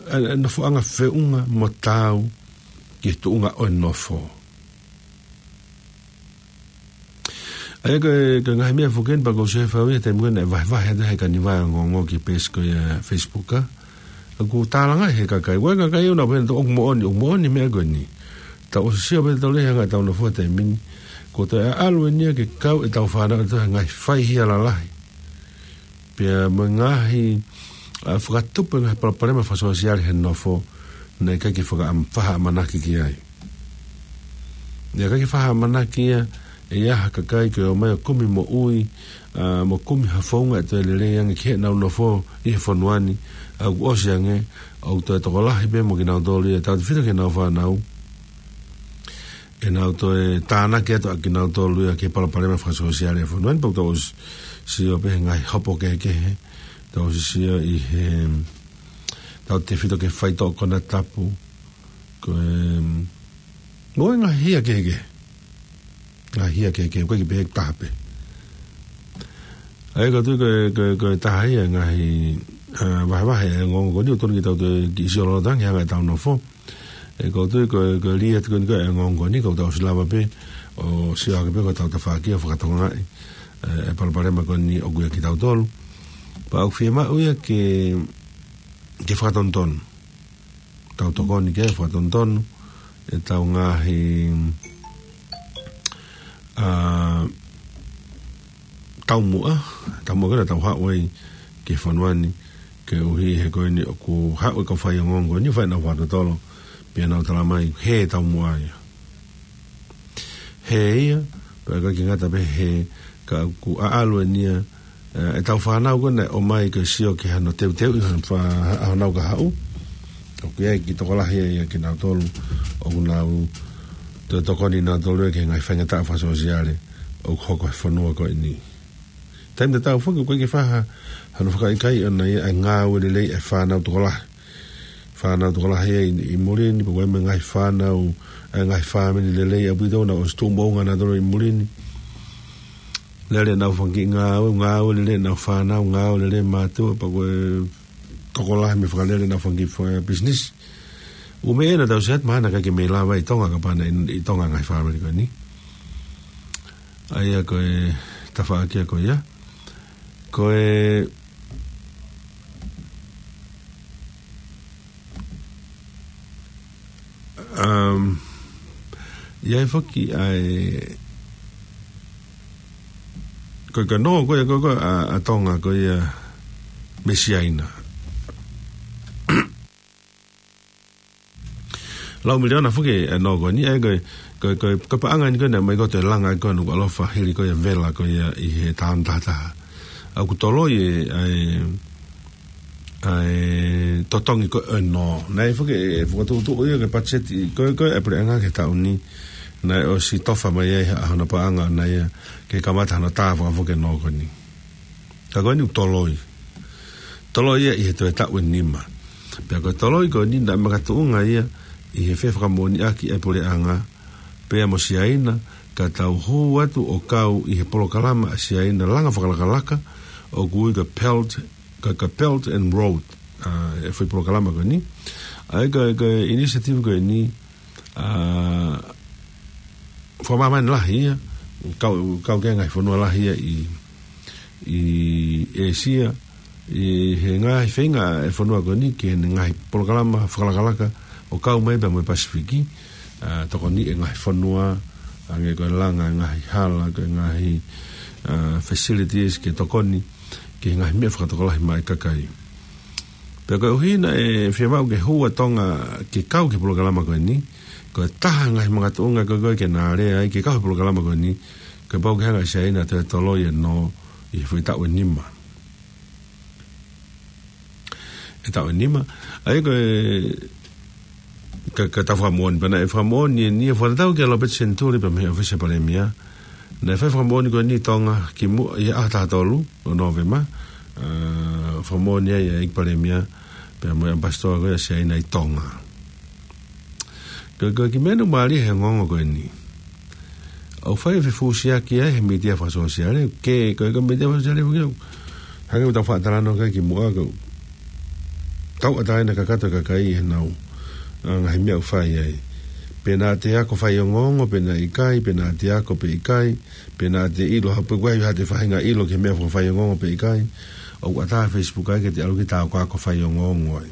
ʻa e, ʻa e nofoʻanga feʻunga mo taau ki he tuʻunga ʻo e nofo. ʻA ia ko e, ko e ngaahi meʻa foki eni pea ʻoku ou sio he fau ia he taimi ko ē naʻe vahevahe atu ʻe he kaniva e ongoongo ki he peesi ko ia ʻa e Facebook, ā. ʻOku tālangaʻi ʻe he kakai, ʻoku ʻi ai e kakai ʻoku nau pehē ʻoku moʻoni, ʻoku moʻoni e meʻa ko eni. Tau ʻosi sio pē ʻe tautolu he anga ʻetau nofo he taimi ni, kuo toe ʻalu eni ia ke kau ʻetau fānau ʻi he ngaahi faihia lalahi, pea mo e ngaahi, ā, fakatupu e ngaahi palopalema fakasōsiale he nofo naʻe ʻikai ke fakaʻam-, fakaʻamanaki ki ai. Naʻe ʻikai ke fakaʻamanaki ia ʻe ha kakai ke ō mai ʻo kumi moʻui, ā, mo kumi ha founga ʻe toe lelei ange ki heʻenau nofo ʻi he fonua ni, ʻa ia ʻoku ʻosi ange ʻoku toe tokolahi pē mo kinautolu ia, tautefito ki heʻenau fānau, ʻenau toe tānaki atu ʻa kinautolu ia ki he palopalema fakasōsiale ʻo e fonua ni. Pea ʻoku tau ʻosi sio pē he ngaahi hopo kehekehe, tau ʻosi sio ʻi he, tautefito ki he faitoʻo konatapu, ko e, mo e ngaahi hia kehekehe. Ngaahi hia kehekehe, ʻoku ʻikai ke pehē ʻe taha pē. ʻA ia ʻoku ou tui ko e, ko e, ko e taha ia e ngaahi, ā, vahevahe e ongoongo ko eni, ʻoku totonu ke tau toe kiʻi sio lolotonga he anga ʻetau nofo. Ē, ʻoku ou tui ko e, ko e lī atu ko eni ko e ongoongo ko eni, kuo tau ʻosi lava pē ʻo sio hake pē ko ʻetau tafaʻaki ʻo fakatokangaʻi, ē, e palopalema ko eni ʻoku ʻiate kitautolu. Pea ʻoku fiemaʻu ia ke, ke fakatonutonu. Tau tokoni ke fakatonutonu ʻetau ngaahi, ā, taumuʻa, taumuʻa ko ē naʻa tau haʻu ai ki he fonua ni, koeʻuhi he ko eni ʻoku haʻu e kau faiongoongo ko eni ʻo fai ʻenau fakatotolo, pea nau talamai, hē e taumuʻa ia. Hē ia, pea ʻikai ke ngata pē he hē, ka ʻoku ʻaʻalu eni ia, ē, ʻetau fānau ko ē naʻe ō mai ke sio ki hano teuteuʻi hano fa-, ʻa honau kahaʻu. ʻOku ʻi ai e kiʻi tokolahi ia ʻia kinautolu ʻoku nau toe tokoni nautolu ia ki he ngaahi faingataʻa fakasōsiale ʻoku hoko he fonua ko eni. Taimi tatau foki ʻoku ʻikai ke faʻa hano fakaʻikaiʻi ʻona ia ʻa e ngāue lelei ʻa e fānau tokolahi. Fānau tokolahi ia ʻi, ʻi muli ni, pea ko e meʻa ngaahi fānau, ʻa e ngaahi fāmili lelei ʻaupito naʻa nau ʻosi tuʻu moʻunga nautolu ʻi muli ni. Lele ʻenau fanga kiʻi ngāue, ngāue lelei ʻenau fānau, ngāue lelei e mātuʻa, pea ko e tokolahi mei he fakalele ʻenau fanga kiʻi fa-, business. Ua meʻa naʻa tau sio atu mahalo naʻe ʻikai ke mei lava ʻi Tonga, kapau naʻe ʻi Tonga ngaahi fāmili ko eni. ʻA ia ko e tafaʻaki ia ko ia. Ko e, um, ʻi ai foki ʻa e, ko e, ko e nō ko ia ko, ko ʻa, ʻa Tonga ko ia mei Siaina. Lau miliona foki e nō ko eni, ʻa ia ko e, ko e, ko e, ko e paʻanga eni ko ē naʻe ʻomai ko ē ʻo toe langa ai ko ē ʻa Nukuʻalofa hili ko ia e vela ko ia ʻi he taha ono taha taha. ʻOku toloi e, ʻa e, ʻa e totongi ko ē ʻo e nō. Naʻe foki ʻe fokotuʻutuʻu ia ke patiseti ko ē, ko ē ʻa e puleʻanga ki he taʻu ni. Naʻe ʻosi tofa mai ai ha, hono paʻanga ʻona ia ke kamata hono tā fakafoki e nō ko eni. Ka ko eni ʻoku toloi. Toloi ia ʻi he toe taʻu ʻe nima. Pea ko e toloi ko eni naʻe makatuʻunga ia ʻi he fefakamoʻoniʻaki ʻa e puleʻanga pea mo Siaina, ka tau hū atu ʻo kau ʻi he polokalama ʻa Siaina langa fakalakalaka, ʻoku ui ko e Belt, ko e, ko e Belt and Road, ʻa e foʻi polokalama ko eni. ʻA ia ko e, ko e initiative ko eni, ʻa, fakamāmani lahi ia, kau, kau ki he ngaahi fonua lahi ia ʻi, ʻi ʻĒsia, ʻi he ngaahi feinga e fonua ko eni ki he ngaahi polokalama fakalakalaka ʻo kau mai pea mo e Pasifiki, ʻa, tokoni e ngaahi fonua, hangē ko e langa e ngaahi hala, ko e ngaahi, ʻa, facilities ke tokoni ki he ngaahi meʻa fakatokolahi maʻa e kakai. Pea koeʻuhi naʻe fiemaʻu ke hū ʻa Tonga ke kau ki he polokalama ko eni, ko e taha ngaahi makatuʻunga ko ē ko ē ke na lea ai ke kau he polokalama ko eni, ko e pau ke hanga ʻe Siaina ʻo toe toloi e nō ʻi he foʻi taʻu ʻe nima. E taʻu ʻe nima, ʻa ia ko e, ka, ka tau fakamoʻoni, pea naʻe fakamoʻoni eni ʻo fakatatau kia Lopeti Senituli pea mei he ʻōfisi ʻa e Palēmia. Naʻe fai fakamoʻoni ko eni ʻi Tonga kimuʻa ʻi he ʻaho taha tolu ʻo Nōvema, ʻa, fakamoʻoni ai ʻa e ʻEiki Palēmia pea mo e ʻAmipasitoa ko ia ʻa Siaina ʻi Tonga. Ko e, ko e kiʻi meʻa naʻe mālie he ongoongo ko eni. ʻOku fai e fefusiaki ai he mītia fakasōsiale, ke, ko e, ko e mītia fakasōsiale foki ʻoku hangē ko ʻetau faʻa talanoa ki ai kimuʻa, ko e tauʻatāina kakato e kakai ʻi heʻenau, ʻa, ngaahi meʻa ʻoku fai ai. Pe naʻa te ako fai ongoongo, pe naʻe ʻikai, pe naʻa te ako pe ʻikai, pe naʻa te ʻilo, ha pe ko e hā haʻate faʻahinga ʻilo ki he meʻa fakafaiongoongo pe ʻikai. ʻOku ʻatā e Facebook ai ke te ʻalu ki ai ʻo akoako fai ongoongo ai.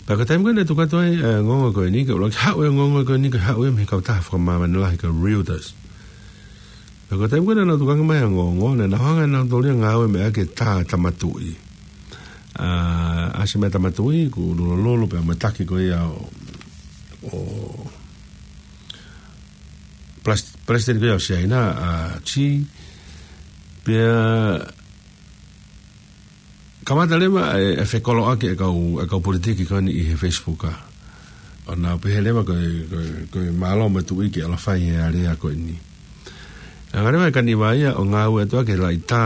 Pea ko e taimi ko ē naʻe tuku atu ai e ongoongo ko eni, ke ʻuluaki haʻu e ongoongo ko eni, ke haʻu ia mei he kautaha fakamāmani lahi ko e Reuters. Pea ko e taimi ko ē naʻa nau tukuange mai e ongoongo, naʻa nau hanga ʻe nautolu ia ʻo ngāueʻaki e tā Tama Tuʻi. ʻA, ʻasi mai Tama Tuʻi, kuo lulolulu pea mo e taki ko ia ʻo, ʻo Pres-, Palesiteni ko ia ʻo Siaina, ʻa Xi, pea kamata leva e, e fekoloʻaki e kau, e kau politiki ko eni ʻi he Facebook ʻa. ʻO nau pehē leva ko e, ko e, ko e mālō mo e tuʻi ke ʻalu ʻo fai e alea ko eni. Hanga leva ʻe Kaniva ia ʻo ngāueʻaki e laʻitā,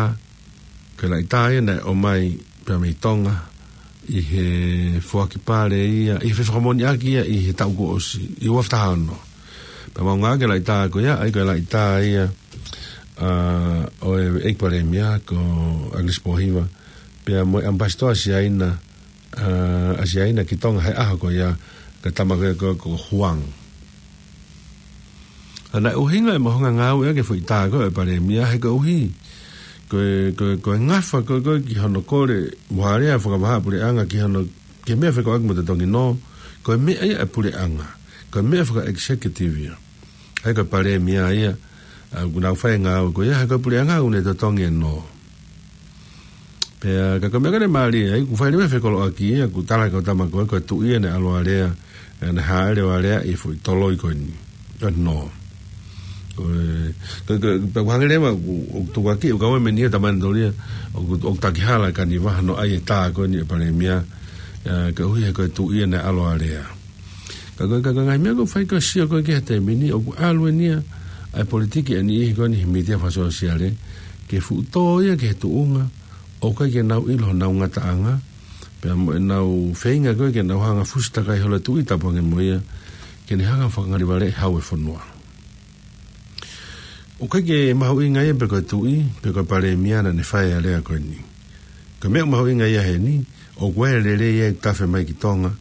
ko e laʻitā ia naʻe ʻomai pea mei Tonga, ʻi he foaki pale ia, ʻi he fefakamoʻoniʻaki ia ʻi he taʻu kuo ʻosi, ʻi he ua afe taha ono. Pea mau ngāueʻaki e laʻitā ko ia, ʻa ia ko e laʻitā ia, ʻa, ʻo e ʻEiki Palēmia ko ʻAkilisi Pōhiva, pea mo e ʻAmipasitoa Siaina, ʻa, ʻa Siaina ki Tonga he ʻaho ko ia, ko e tama ko ia ko, ko Huang. ʻA, naʻe ʻuhinga ʻemau hanga ʻo ngāueʻaki e foʻi tā ko ē ʻo e Palēmia he koeʻuhi ko e, ko e, ko e ngafa ko ē, ko ē ki hono kole mo ha alea fakavahaʻapuleʻanga ki hono, ki he meʻa fekauʻaki mo e totongi nō, ko e meʻa ia ʻa e puleʻanga, ko e meʻa faka-executive ia. ʻA ia ko e Palēmia ia, ʻa, ʻoku nau fai e ngāue ko ia, he ko e puleʻanga ʻoku ne totongi e nō. Pea ka ko e meʻa ko ē naʻe mālie ai, kuo fai leva e fekoloʻaki ia, kuo tala ʻe he kau tama ko ē, ko e tuʻi ia naʻe ʻalu ʻo alea, ʻa, naʻe hāʻele ʻo alea ʻi he foʻi toloi ko eni. ʻA, nō. Ko e, ko e, ko e, pea ʻoku hangē leva, ʻoku, ʻoku tukuakiʻi, ʻoku ʻikai ke meʻa ni ʻa e tama ʻeni tōlia, ʻoku, ʻoku taki hala ʻe Kaniva hono ʻai e tā ko eni ʻo e Palēmia, ʻa, koeʻuhi he ko e tuʻi ia naʻe ʻalu ʻo alea. Ka ko e, ka ko e ngaahi meʻa ʻoku fai ko e sio ko ē ki he taimi ni, ʻoku ʻalu eni ia ʻa e politiki ʻa e niʻihi ko eni he mītia fakasōsiale, ke fuʻu tō ia ki he tuʻunga, ʻoku ʻikai ke nau ʻilo honau ngataʻanga, pea mo ʻenau feinga ko ē ke nau hanga ʻo fusi takai holo e tuʻi tapu ange mo ia, ke ne hanga ʻo fakangalivaleʻi hau e fonua. ʻOku ʻikai ke mahuʻinga ia pe ko e tuʻi, pe ko e Palēmia naʻa ne fai e alea ko eni. Ko e meʻa ʻoku mahuʻinga ia heni, ʻoku ʻi ai e lelei ia ʻoku tafe mai ki Tonga,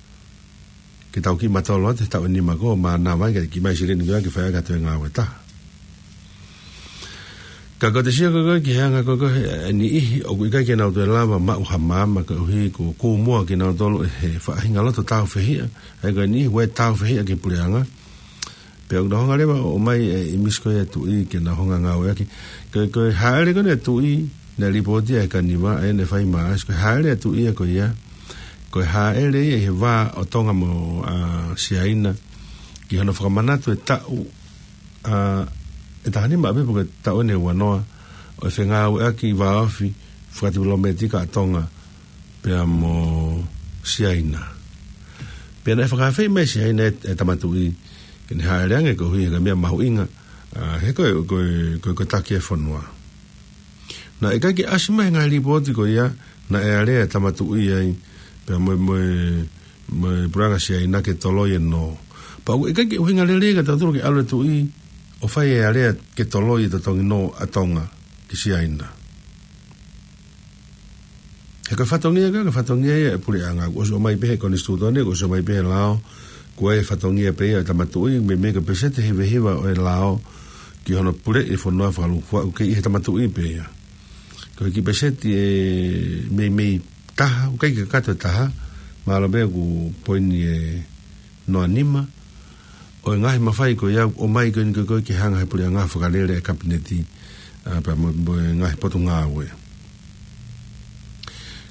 ke tau kiʻi mātolo atu he taʻu ʻe nima ko ē, mānava ai ke kiʻi ʻomai silini ko ia ke fai ʻaki ha toe ngāue ʻe taha. Ka ko e sio ko ē ki he anga ko ē ʻa e niʻihi ʻoku ʻikai ke nau toe lava maʻu ha maama koeʻuhi ko e kūmua kinautolu ʻe he faʻahinga loto tāufehiʻa, ʻa ia ko e niʻihi ʻoku tāufehiʻa ki he puleʻanga. Pea ʻoku nau hanga leva ʻo ʻomai e ʻīmisi ko ia ʻa e tuʻi ke nau hanga ngāueʻaki. Ko e, ko e hāʻele ko eni ʻa e tuʻi, naʻe lipooti ʻe he Kaniva, ʻa ia naʻe fai ʻi Maʻasi, ko e hāʻele ʻa e tuʻi ia ko ia, ko e hāʻele ia ʻi he vā ʻo Tonga mo, ʻa, Siaina, ki hono fakamanatu e taʻu, ʻa, ʻe taha nima ʻaupito pe ko e taʻu ʻe ua noa, ʻo e fengāueʻaki vāofi fakatipilometika ʻa Tonga pea mo Siaina. Pea naʻe fakaafeʻi mai ʻe Siaina e, e Tama Tuʻi ke ne hāʻele ange koeʻuhi ko e meʻa mahuʻinga, ʻa, he ko e, ko e, ko e, ko e taki e fonua. Naʻe ʻikai ke ʻasi mai he ngaahi lipooti ko ia naʻe alea e Tama Tuʻi ai pea mo e, mo e, mo e puleʻanga Siaina ke toloi e nō. Pea ʻoku ʻikai ke ʻuhinga lelei kia tautolu ke ʻalu e tuʻi ʻo fai e alea ke toloi e totongi nō ʻa Tonga ki Siaina. He ko e fatongia, ko e fatongia ia ʻa e puleʻanga, kuo ʻosi ʻomai pē he konisitūtone, kuo ʻosi ʻomai pē he lao, ko e fatongia pē ia ʻo e Tama Tuʻi, meimei ko e peseti ʻe hivahiva ʻo e lao ki hono puleʻi e fonua fakalūkufua, ʻoku kei ʻi he Tama Tuʻi pē ia. Ko e kiʻi peseti ʻe meimei taha, ʻoku ʻikai ke kakato e taha, mahalo pē ʻoku poini ʻe noa nima, ʻo e ngaahi mafai ko ia ʻoku ʻomai ko eni ko ē ke hanga he puleʻanga ʻo fakalele e kapineti, ʻa, pea mo, mo e ngaahi potungāue.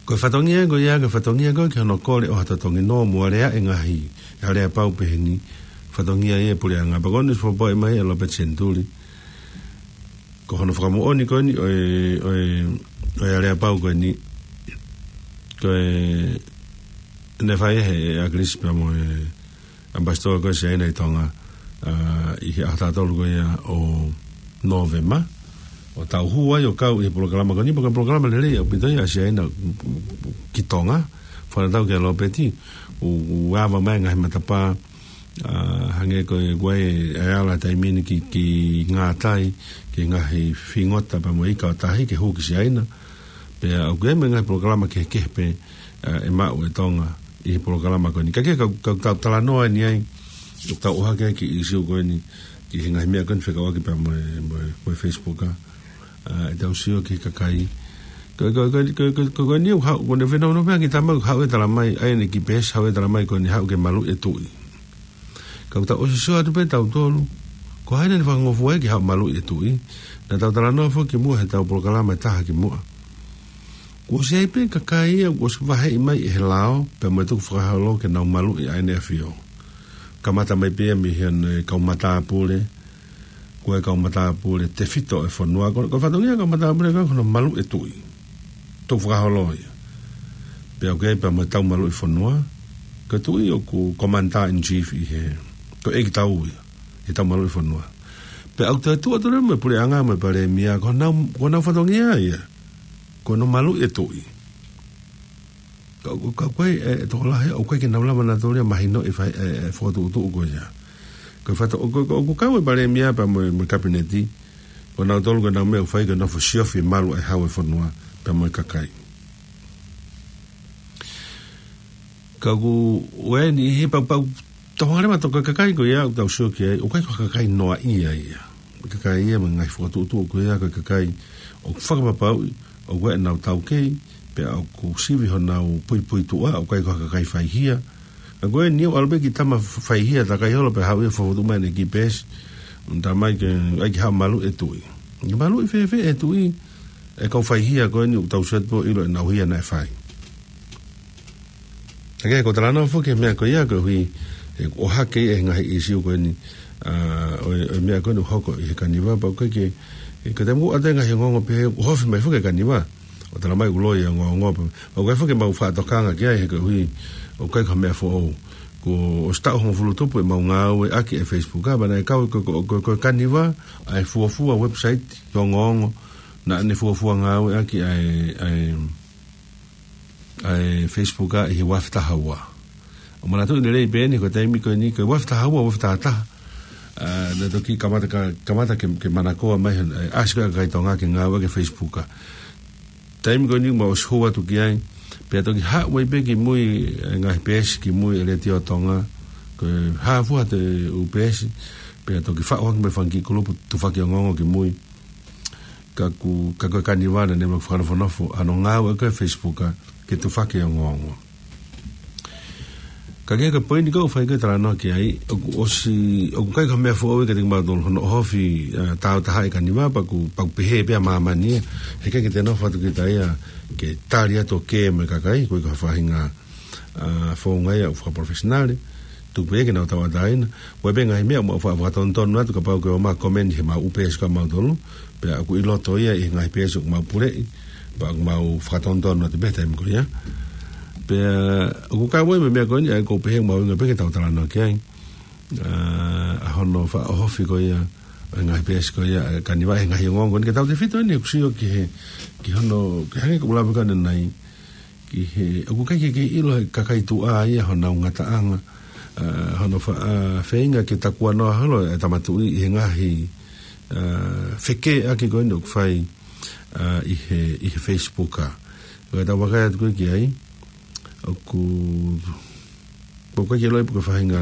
Ko e fatongia ko ia, ko e fatongia ko ē ki hono kole ʻo ha totongi nō mo alea e ngaahi, aleapau peheni, fatongia ia e puleʻanga. Pea ko eni ʻosi fakapoʻuli mai ʻe Lopeti Senituli ko hono fakamoʻoni ko eni ʻo e, ʻo e, ʻo e aleapau ko eni, ko e, naʻe fai ʻe he ʻAkilisi pea mo e ʻAmipasitoa ko ē ʻa Siaina ʻi Tonga, ʻa, ʻi he ʻaho taha tolu ko ia ʻo Nōvema, ʻo tau hū ai ʻo kau ʻi he polokalama ko eni, pea ko e polokalama lelei ʻaupito ia ʻa Siaina ki Tonga, fakatatau kia Lopeti, ʻo, ʻo ava mai ngaahi matapā, ʻa, hangē ko e kuo ʻi ai e ala taimi ni ki, ki ngātai, ki he ngaahi fingota pea mo e ika ʻo tahi ke hū ki Siaina. Pea ʻoku ʻi ai mo e ngaahi polokalama kehekehe pē, ʻa, ʻe maʻu ʻe Tonga ʻi he polokalama ko eni. Ka ke kau, kau tau talanoa eni ai, ʻoku tau ʻohake ai ki he ʻīsiu ko eni, ki he ngaahi meʻa ko eni fekauʻaki pea mo e, mo e, mo e Facebook, ʻa, ʻa, ʻetau sio ki he kakai. Ko, ko, ko, ko, ko, ko, ko eni ʻoku haʻu, ko ʻene fenau no pea ki tama ʻoku haʻu ʻo talamai, ʻa ia ʻene kiʻi peesi haʻu ʻo talamai ko eni haʻu ke maluʻi e tuʻi. Ka ʻoku tau ʻosi sio atu pē tautolu, ko hai naʻa ne fakangofua ai ke haʻu maluʻi e tuʻi. Naʻa tau talanoa foki ki muʻa he ʻetau polokalama ʻe taha ki muʻa. Kuo ʻosi ʻi ai pē kakai ia, kuo ʻosi vaheʻi mai ʻe he lao, pea mo e tukufakaholo ke nau maluʻi ʻa ʻEne ʻAfio. Kamata mai pē ia mei he ʻa e kau matāpule, ko e kau matāpule tefito ʻo e fonua, ko, ko e fatongia e kau matāpule ko ē ko hono maluʻi e tuʻi. Tukufakaholo ia. Pea ʻoku ʻi ai pea mo e tau maluʻi fonua, ko e tuʻi ʻoku commander in chief ʻi he, ko e ʻeikitau ia, ʻi he tau maluʻi fonua. Pea ʻoku toe tuʻu atu leva mo e puleʻanga mo e palēmia, ko honau, ko honau fatongia ia, ko hono maluʻi e tuʻi. Ka, ka, ka ko e, e, e tokolahi, ʻoku ʻikai ke nau lava nautolu ia ʻo mahinoʻi e fai, e, e fokotuʻutuʻu ko ia. Ko e fato, ʻoku, ʻoku, ʻoku kau e palēmia pea mo e, mo e kapineti, ko nautolu ko ʻenau meʻa ʻoku fai ko e nofo siofi e malu ʻa e hau e fonua, pea mo e kakai. Ka ʻoku ʻi ai e niʻihi pea, pea tau hanga leva ʻo tokanga ki he kakai ko ia ʻoku tau sio ki ai, ʻoku ʻikai ko ha kakai noaʻia ia. Kakai ia mo e ngaahi fokotuʻutuʻu ko ia ko e kakai ʻoku fakapapauʻi ʻoku ʻi ai ʻenau taukei, pea ʻoku sivi honau puipuituʻa, ʻoku ʻikai ko ha kakai faihia. Ka ko eni ʻoku ʻalu pē ki tama faihia takai holo pea haʻu ia ʻo fokotuʻu mai ʻene kiʻi peesi, ʻo talamai ke, ʻai ke haʻu maluʻi e tuʻi. Ke maluʻi fēfē e tuʻi ʻe he kau faihia ko eni ʻoku tau sio atu pē ʻo ʻilo ʻenau hia naʻe fai. Ka ke ko e talanoa foki he meʻa ko ia koeʻuhi, ʻe ʻohake e ngaahi ʻīsiu ko eni, ʻa, ʻo e, ʻo e meʻa ko eni ʻoku hoko ʻi he Kaniva, pea ʻoku ʻikai ke, ʻe, ka te mou ʻata e ngaahi ongoongo pehē, ʻoku ofi mai foki e Kaniva ʻo talamai ʻoku loi e ongoongo pē. ʻOku ʻikai foki ke mau fakatokangaʻi ki ai he koeʻuhi ʻoku ʻikai ko ha meʻa foʻou. Kuo ʻosi taʻu hongofulu tupu ʻemau ngāueʻaki e Facebook, ʻa, pea naʻe kau ko, ko, ko, ko e Kaniva ʻa e fuofua website ʻo e ongoongo, naʻa ne fuofua ngāueʻaki ʻa e, ʻa e, ʻa e Facebook ʻi he ua afe taha ua. ʻO manatuʻi lelei pē eni ko e taimi ko eni ko e ua afe taha ua, ua afe taha taha, ʻa, naʻe toki kamata ka, kamata ke, ke manakoa mai, ʻa, ʻasi ko ē ʻa e kakai Tonga ke ngāueʻaki e Facebook. Taimi ko eni mau ʻosi hū atu ki ai, pea toki haʻu ai pē ki mui, ʻa, ngaahi peesi ki mui ʻa e Letiō Tonga, Hā fua ʻa e U P S, pea toki faʻu ange mei he fanga kiʻi kulupu tufaki ongoongo ki mui. Ka ʻoku, ka ko e Kaniva naʻe ʻikai ke fakanofonofo ʻa hono ngāue ko ē ʻa e Facebook ke tufaki ongoongo. Ka ko e kiʻi poini ʻoku ou fie talanoa ki ai, ʻoku ʻosi, ʻoku ʻikai ko ha meʻa foʻou ia kiate kimautolu hono ʻohofi, ʻa, tauʻatāina ʻa e Kaniva, pea ʻoku, pea ʻoku pehē pē ʻa māmani ia, heʻikai ke te nofo atu kita ia ke tali atu ʻo kē mo e kakai, ʻoku ʻikai ko ha faʻahinga, ʻa, founga ia ʻoku fakaprofesinale, tuku pē ke nau tauʻatāina, ʻoku ʻi ai pē ngaahi meʻa ʻoku mau faʻa fakatonutonu atu kapau ʻoku ʻomai komeni he mau U P S ko ē ʻamautolu, pea ʻoku ʻi loto ia ʻi he ngaahi peesi ʻoku mau puleʻi, pea ʻoku mau fakatonutonu atu pē he taimi ko ia. Pea ʻoku kau ai mo e meʻa ko eni, ʻa ia ʻoku ou pehē ʻoku mahuʻinga pē ke tau talanoa ki ai. ʻA, ʻa hono faʻa ʻohofi ko ia, ʻa e ngaahi peesi ko ia, ʻa e Kaniva he ngaahi ongoongo ko eni, ke tau tefito eni ʻoku sio ki he, ki hono, ke hangē ko ʻeku lave ko ē ʻanenai, ki he, ʻoku ʻikai ke kei ʻilo ʻe he kakai tuʻa ia honau ngataʻanga, ʻa, hono fa-, ʻa, feinga ke takuanoa holo ʻa e Tama Tuʻi ʻi he ngaahi, ʻa, fekeʻaki ko eni ʻoku fai, ʻa, ʻi he, ʻi he Facebook. Ka tau vakai atu ko ē ki ai, ʻoku, ʻoku ʻikai ke ʻilo pe ko e faʻahinga,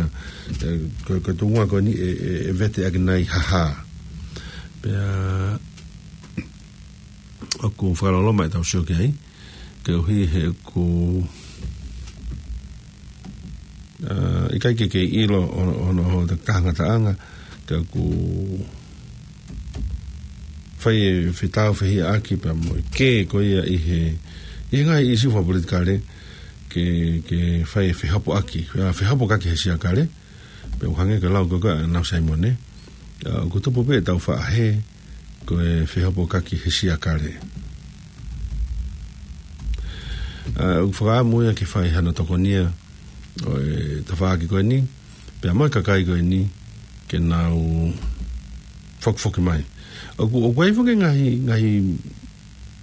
ʻe, ko, ko e tuʻunga ko eni ʻe, ʻe, ʻe vete ʻaki nai ha hā. Pea, ʻoku fakaloloma ʻetau sio ki ai, koeʻuhi he ʻoku, ʻa, ʻikai ke kei ʻilo ʻo, ʻo, ʻo, ʻo, ʻo, ngataʻanga, ka ʻoku fai e fetau fehiʻaki pea mo e kē ko ia ʻi he, ʻi he ngaahi ʻīsiu fakapolitikale, ke, ke fai e fehopoʻaki, ʻa, fehopokaki he siakale, pea ʻoku hangē ko e lau ko ē ʻa Nau Saimone, ʻa, ʻoku tupu pē ʻetau faʻa hē, ko e fehopokaki he siakale. ʻA, ʻoku fakaʻamu ia ke fai hano tokonia ʻo e tafaʻaki ko eni, pea mo e kakai ko eni, ke nau fokifoki mai. ʻOku, ʻoku ʻi ai foki ngaahi, ngaahi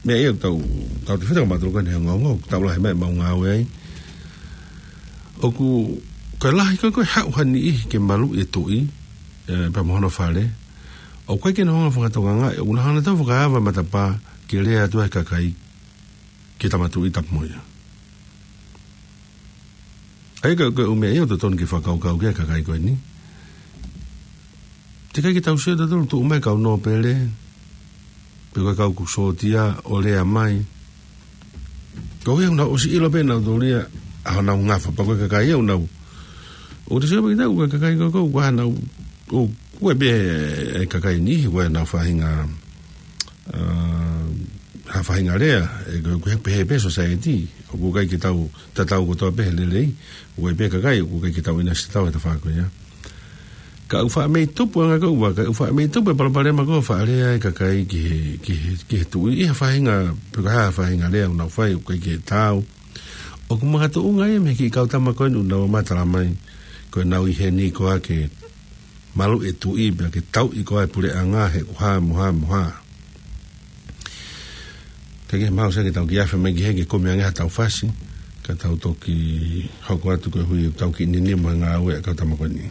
meʻa ia ʻoku tau, tau tefito kimautolu ko eni he ongoongo, ʻoku tau lahi mai ʻemau ngāue ai. ʻOku, ko e lahi ko ē ʻoku haʻu ha niʻihi ke maluʻi e tuʻi, ʻe, pea mo hono fale. ʻOku ʻikai ke nau hanga ʻo fakatokangaʻi, ʻoku nau hanga ʻo tau fakaava matapā ke lea atu ai e kakai ki he Tama Tuʻi Tapu mo ia. ʻA ia ko e, ko e ʻū meʻa ia ʻoku totonu ke fakakaukau ki ai e kakai ko eni. Teʻeki ai ke tau sio tautolu tuʻu mai e kau nōpele, pe ko e kau kuo sōtia ʻo lea mai. Koeʻuhi ʻoku nau ʻosi ʻilo pē ʻe nautolu ia ʻa honau ngafa, pea ko e kakai ia ʻoku nau. ʻOku te sio pē kita, ko e kakai ko ē, ko e ʻuhinga ʻoku, ʻoku ʻi ai pē e kakai niʻihi, ko ʻenau faʻahinga, ʻa, ha faʻahinga lea, ʻe ko, ko e pehē pē society, ʻoku ʻikai ke tau tatau kotoa pē he lelei, ʻoku ʻi ai pē kakai, ʻoku ʻikai ke tau ʻinasi tatau he tafaʻaki ko ia. Ka ʻoku faʻa mei tupu ʻa e ngaahi kau vaka, ʻoku faʻa mei tupu e palopalema ko ē ʻoku faʻa lea e kakai ki he, ki he, ki he tuʻi, ʻi ha faʻahinga, pe ko ha faʻahinga lea ʻoku nau fai, ʻoku ʻikai ke taau. ʻOku makatuʻunga ia mei he kiʻi kau tama ko eni ʻoku nau ō mai ʻo tala mai, ko ʻenau ʻi heni koā ke maluʻi e tuʻi pea ke tauʻi koā e puleʻanga he ʻoku hā mo hā mo hā. Ka ke mau sio ke tau kiʻi afe mai ki hē ke kumi ange ha tau fasi, ka tau toki hoko atu koeʻuhi ʻoku tau kiʻi nini mo e ngāue ʻa e kau tama ko eni.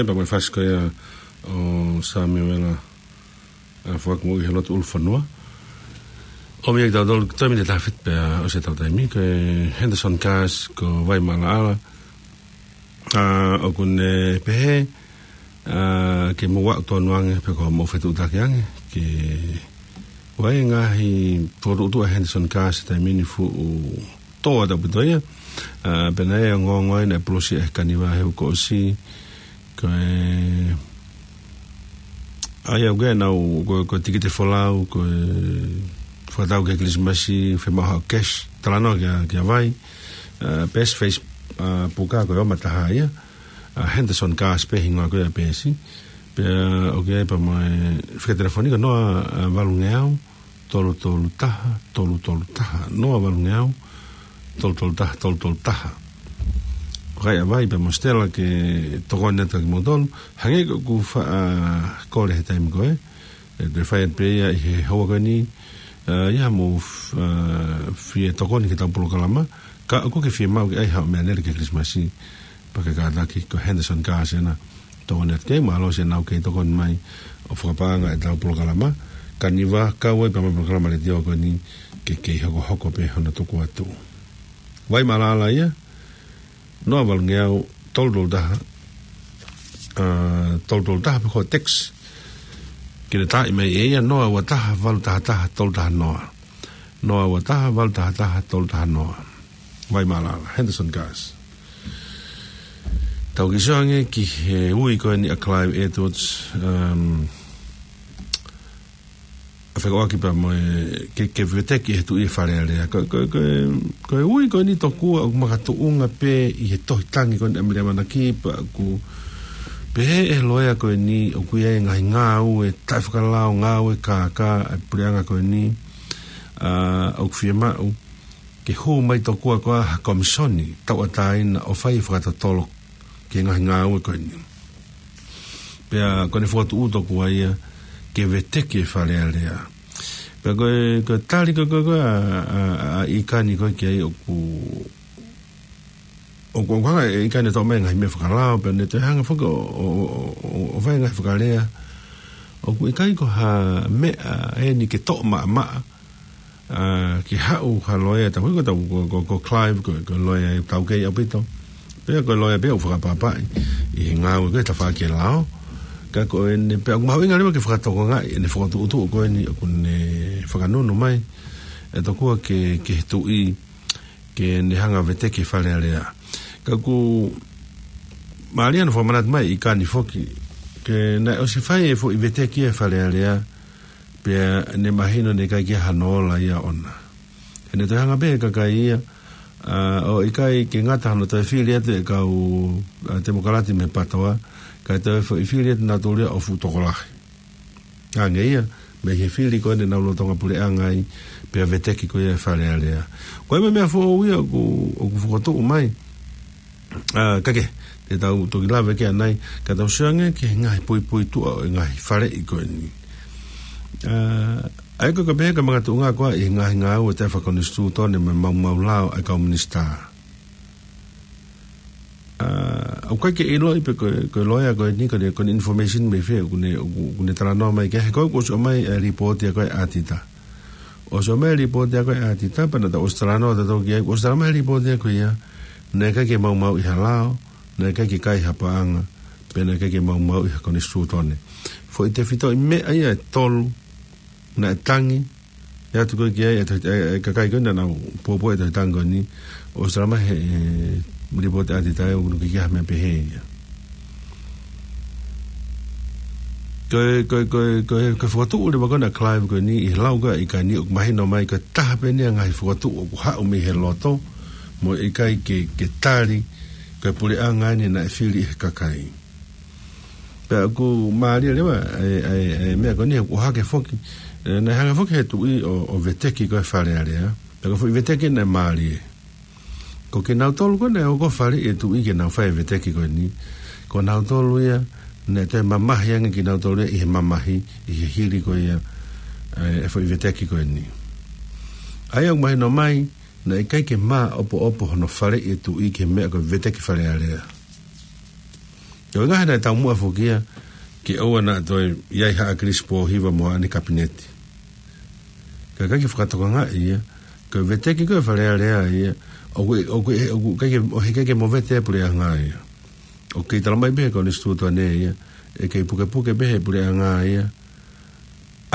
Pea mo e fasi ko ia ʻo Samiuela, ʻa, Fuakimoʻui he lotu ʻulufonua. ʻOmi ʻe kitautolu, toe miniti ʻe taha fitu pea ʻosi ʻetau taimi, ko Henderson Cars, ko Vaimaʻalaʻala. ʻA, ʻoku ne pehē, ʻa, ke mou aʻu tonu ange, pe ko hoʻomou fetuʻutaki ange, ke ʻoku ʻi ai e ngaahi fokotuʻutuʻu ʻa Henderson Cars he taimi ni, fuʻu tō ʻaupito ia. ʻA, pea naʻe ongoongo ai naʻe polosi ʻe he Kaniva he uike kuo ʻosi, ko e, ʻa ia ʻoku ʻi ai ʻenau, ko, ko e tikite folau, ko e fakatau ki he Kilisimasi, fiemaʻu haʻo cash, talanoa kia, kia Vai, ʻa, peesi Face-, ʻa, puka ko e ʻOma Taha ia, ʻa, Henderson Cars pē hingoa ko ia peesi, pea ʻoku ʻi ai pea mo e fika telefoni ko e noa, ʻa, valungeau, tolu tolu taha, tolu tolu taha, noa valungeau, tolu tolu taha, tolu tolu taha. Ko ia Vai pea mo Stella ke tokoni atu kia kimoutolu, hangē ko ʻeku fa-, ʻa, kole he taimi ko ē, ʻe te fai atu pē ia ʻi he houa ko eni, ʻa, ʻi haʻamou f-, ʻa, fie tokoni ki heʻetau polokalama, ka ʻoku ke fiemaʻu ke ʻai haʻo meʻalele ki he Kilisimasi, pea ke kātaki ko Henderson Cars ena tokoni atu ki ai, mālō siʻenau kei tokoni mai ʻo fakapaʻanga ʻetau polokalama. Kaniva, kau ai pea mo e polokalama letiō ko eni ke kei hokohoko pē hono tuku atu. Vaimaʻalaʻala ia, noa valungeau, tolu tolu taha, ʻa, tolu tolu taha pe ko e text. Ke ne taaʻi mai ʻe ia, noa ua taha, valu taha taha, tolu taha noa. Noa ua taha, valu taha taha, tolu taha noa. Vaimaʻalaʻala, Henderson Cars. Tau kiʻi sio ange ki he ui ko eni ʻa Clive Edwards, um, ʻa fekauʻaki pea mo e ke, ke veteki he Tuʻi e Fale Alea. Ko, ko, ko, ko e ui ko eni tokua ʻoku makatuʻunga pē ʻi he tohi tangi ko eni ʻa Mele ʻAmanaki pea ʻoku pehē ʻe he loea ko eni ʻoku ʻi ai e ngaahi ngāue taʻefakalao, ngāue kākā ʻa e puleʻanga ko eni, ʻa, ʻoku fiemaʻu ke hū mai tokua ko ha komisoni tauʻatāina ʻo fai e fakatotolo ki he ngaahi ngāue ko eni. Pea ko ʻene fokotuʻu tokua ia ke veteki e Fale Alea. Pea ko e, ko e tali ko, ko, ko ʻa, ʻa, ʻa, ʻa ʻIkani ko ē ki ai ʻoku, ʻoku, ʻoku hanga ʻe ʻIkani ʻo toʻo mai e ngaahi meʻa fakalao, pea ne toe hanga foki ʻo, ʻo, ʻo, ʻo, ʻo fai e ngaahi fakalea. ʻOku ʻikai ko ha meʻa eni ke toʻo maʻamaʻa, ʻa, ke haʻu ha loea, tau hiko tau ko, ko, ko Clive, ko, ko e loea ʻoku taukei ʻaupito. Pea ko e loea pē ʻoku fakaʻapaʻapaʻi ʻi he ngāue ko ē tafaʻaki e lao. Ka ko ʻene, pea ʻoku mahuʻinga leva ke fakatokangaʻi ʻene fokotuʻutuʻu ko eni ʻoku ne fakanunu mai ʻe tokua ke, ke he Tuʻi, ke ne hanga veteki e Fale Alea. Ka ʻoku mālie hono fakamanatu mai ʻe ʻIkani foki, ke naʻe ʻosi fai e foʻi veteki e Fale Alea, pea ne mahino naʻe ʻikai ke ʻi ai hano ola ia ʻoʻona. He ne toe hanga pē ʻe he kakai ia, ʻa, ʻo ʻikai ke ngata hono toe fili atu e kau, ʻa, Temokalati mei he PATOA, kae toe foʻi fili atu nautolu ia ʻo fuʻu tokolahi. Hangē ia, mei he fili ko ē naʻa nau lolotonga puleʻanga ai, pea veteki ko ia e Fale Alea. Ko e meʻa foʻou ia ʻoku, ʻoku fokotuʻu mai. ʻA, ka ke, te tau toki lave ki ai ʻanai, ka tau sio ange ki he ngaahi puipuituʻa ʻo e ngaahi faleʻi ko eni. ʻA, ʻa ia ko e ka pehē ka makatuʻunga ko ā ʻi he ngaahi ngāue taʻefakakonisitūtone mo e maumau lao ʻa e kau minisitā. ʻA, ʻoku ʻikai ke ʻiloʻi pe ko e, ko e loea ko eni, ko ʻene, ko ʻene information mei fē, ʻoku ne, ʻoku, ʻoku ne talanoa mai ki ai, he ko ē kuo ʻosi ʻomai e lipooti ia ko ē ʻa e ʻatita. ʻOsi ʻomai e lipooti ia ko ē ʻa e ʻatita, pea naʻa tau ʻosi talanoa tautolu ki ai, kuo ʻosi talamai he lipooti ia ko ia, naʻe ʻikai ke maumauʻi ha lao, naʻe ʻikai ke kai ha paʻanga, pea naʻe ʻikai ke maumauʻi ha konisitūtone. Foʻi tefitoʻi meʻa ia ʻe tolu, naʻe tangi, ʻe ʻatu ko ē ki ai, ʻe to-, ʻe, ʻe kakai ko ē naʻa nau pōpoaki e tohi tangi ko eni, ʻosi talamai he, e, lipooti ʻa e ʻatita ʻoku ʻikai ke ʻi ai ha meʻa pehē ia. Ko e, ko e, ko e, ko e, ko e fokotuʻu leva ko ena ʻa Clive ko eni, ʻi he lau ko ē ʻa ʻIkani ʻoku mahino mai ko e taha pē eni ʻa e ngaahi fokotuʻu ʻoku haʻu mei he loto, mo e ʻikai ke, ke tali, ko e puleʻanga eni naʻe fili ʻe he kakai. Pea ʻoku mālie leva, e, e, e, meʻa ko eni ʻoku ʻohake foki, e, naʻe hanga foki he Tuʻi ʻo, ʻo veteki ko ē Fale Alea. Pea ko e foʻi veteki naʻe mālie. Ko kinautolu ko ē naʻe ō ko ē ʻo faleʻi e Tuʻi ke nau fai e veteki ko eni. Ko nautolu ia, naʻe toe mamahi ange kinautolu ia ʻi he mamahi, ʻi he hili ko ia, e, e foʻi veteki ko eni. ʻA ia ʻoku mahino mai, naʻe ʻikai ke māʻopoʻopo hono faleʻi e Tuʻi ki he meʻa ko e veteki Fale Alea. Ko e ngaahi naʻe taumuʻa foki ia ke ʻoua naʻa toe ʻi ai haʻa Kilisi Pōhiva mo haʻane kapineti. Ka ʻikai ke fakatokangaʻi ia, ko e veteki ko ē Fale Alea ia, ʻoku, ʻoku, ʻoku ʻikai ke, ʻoku ʻikai ke movete e puleʻanga ia. ʻOku kei talamai pē he konisitūtone ia, ʻe kei pukepuke pē he puleʻanga ia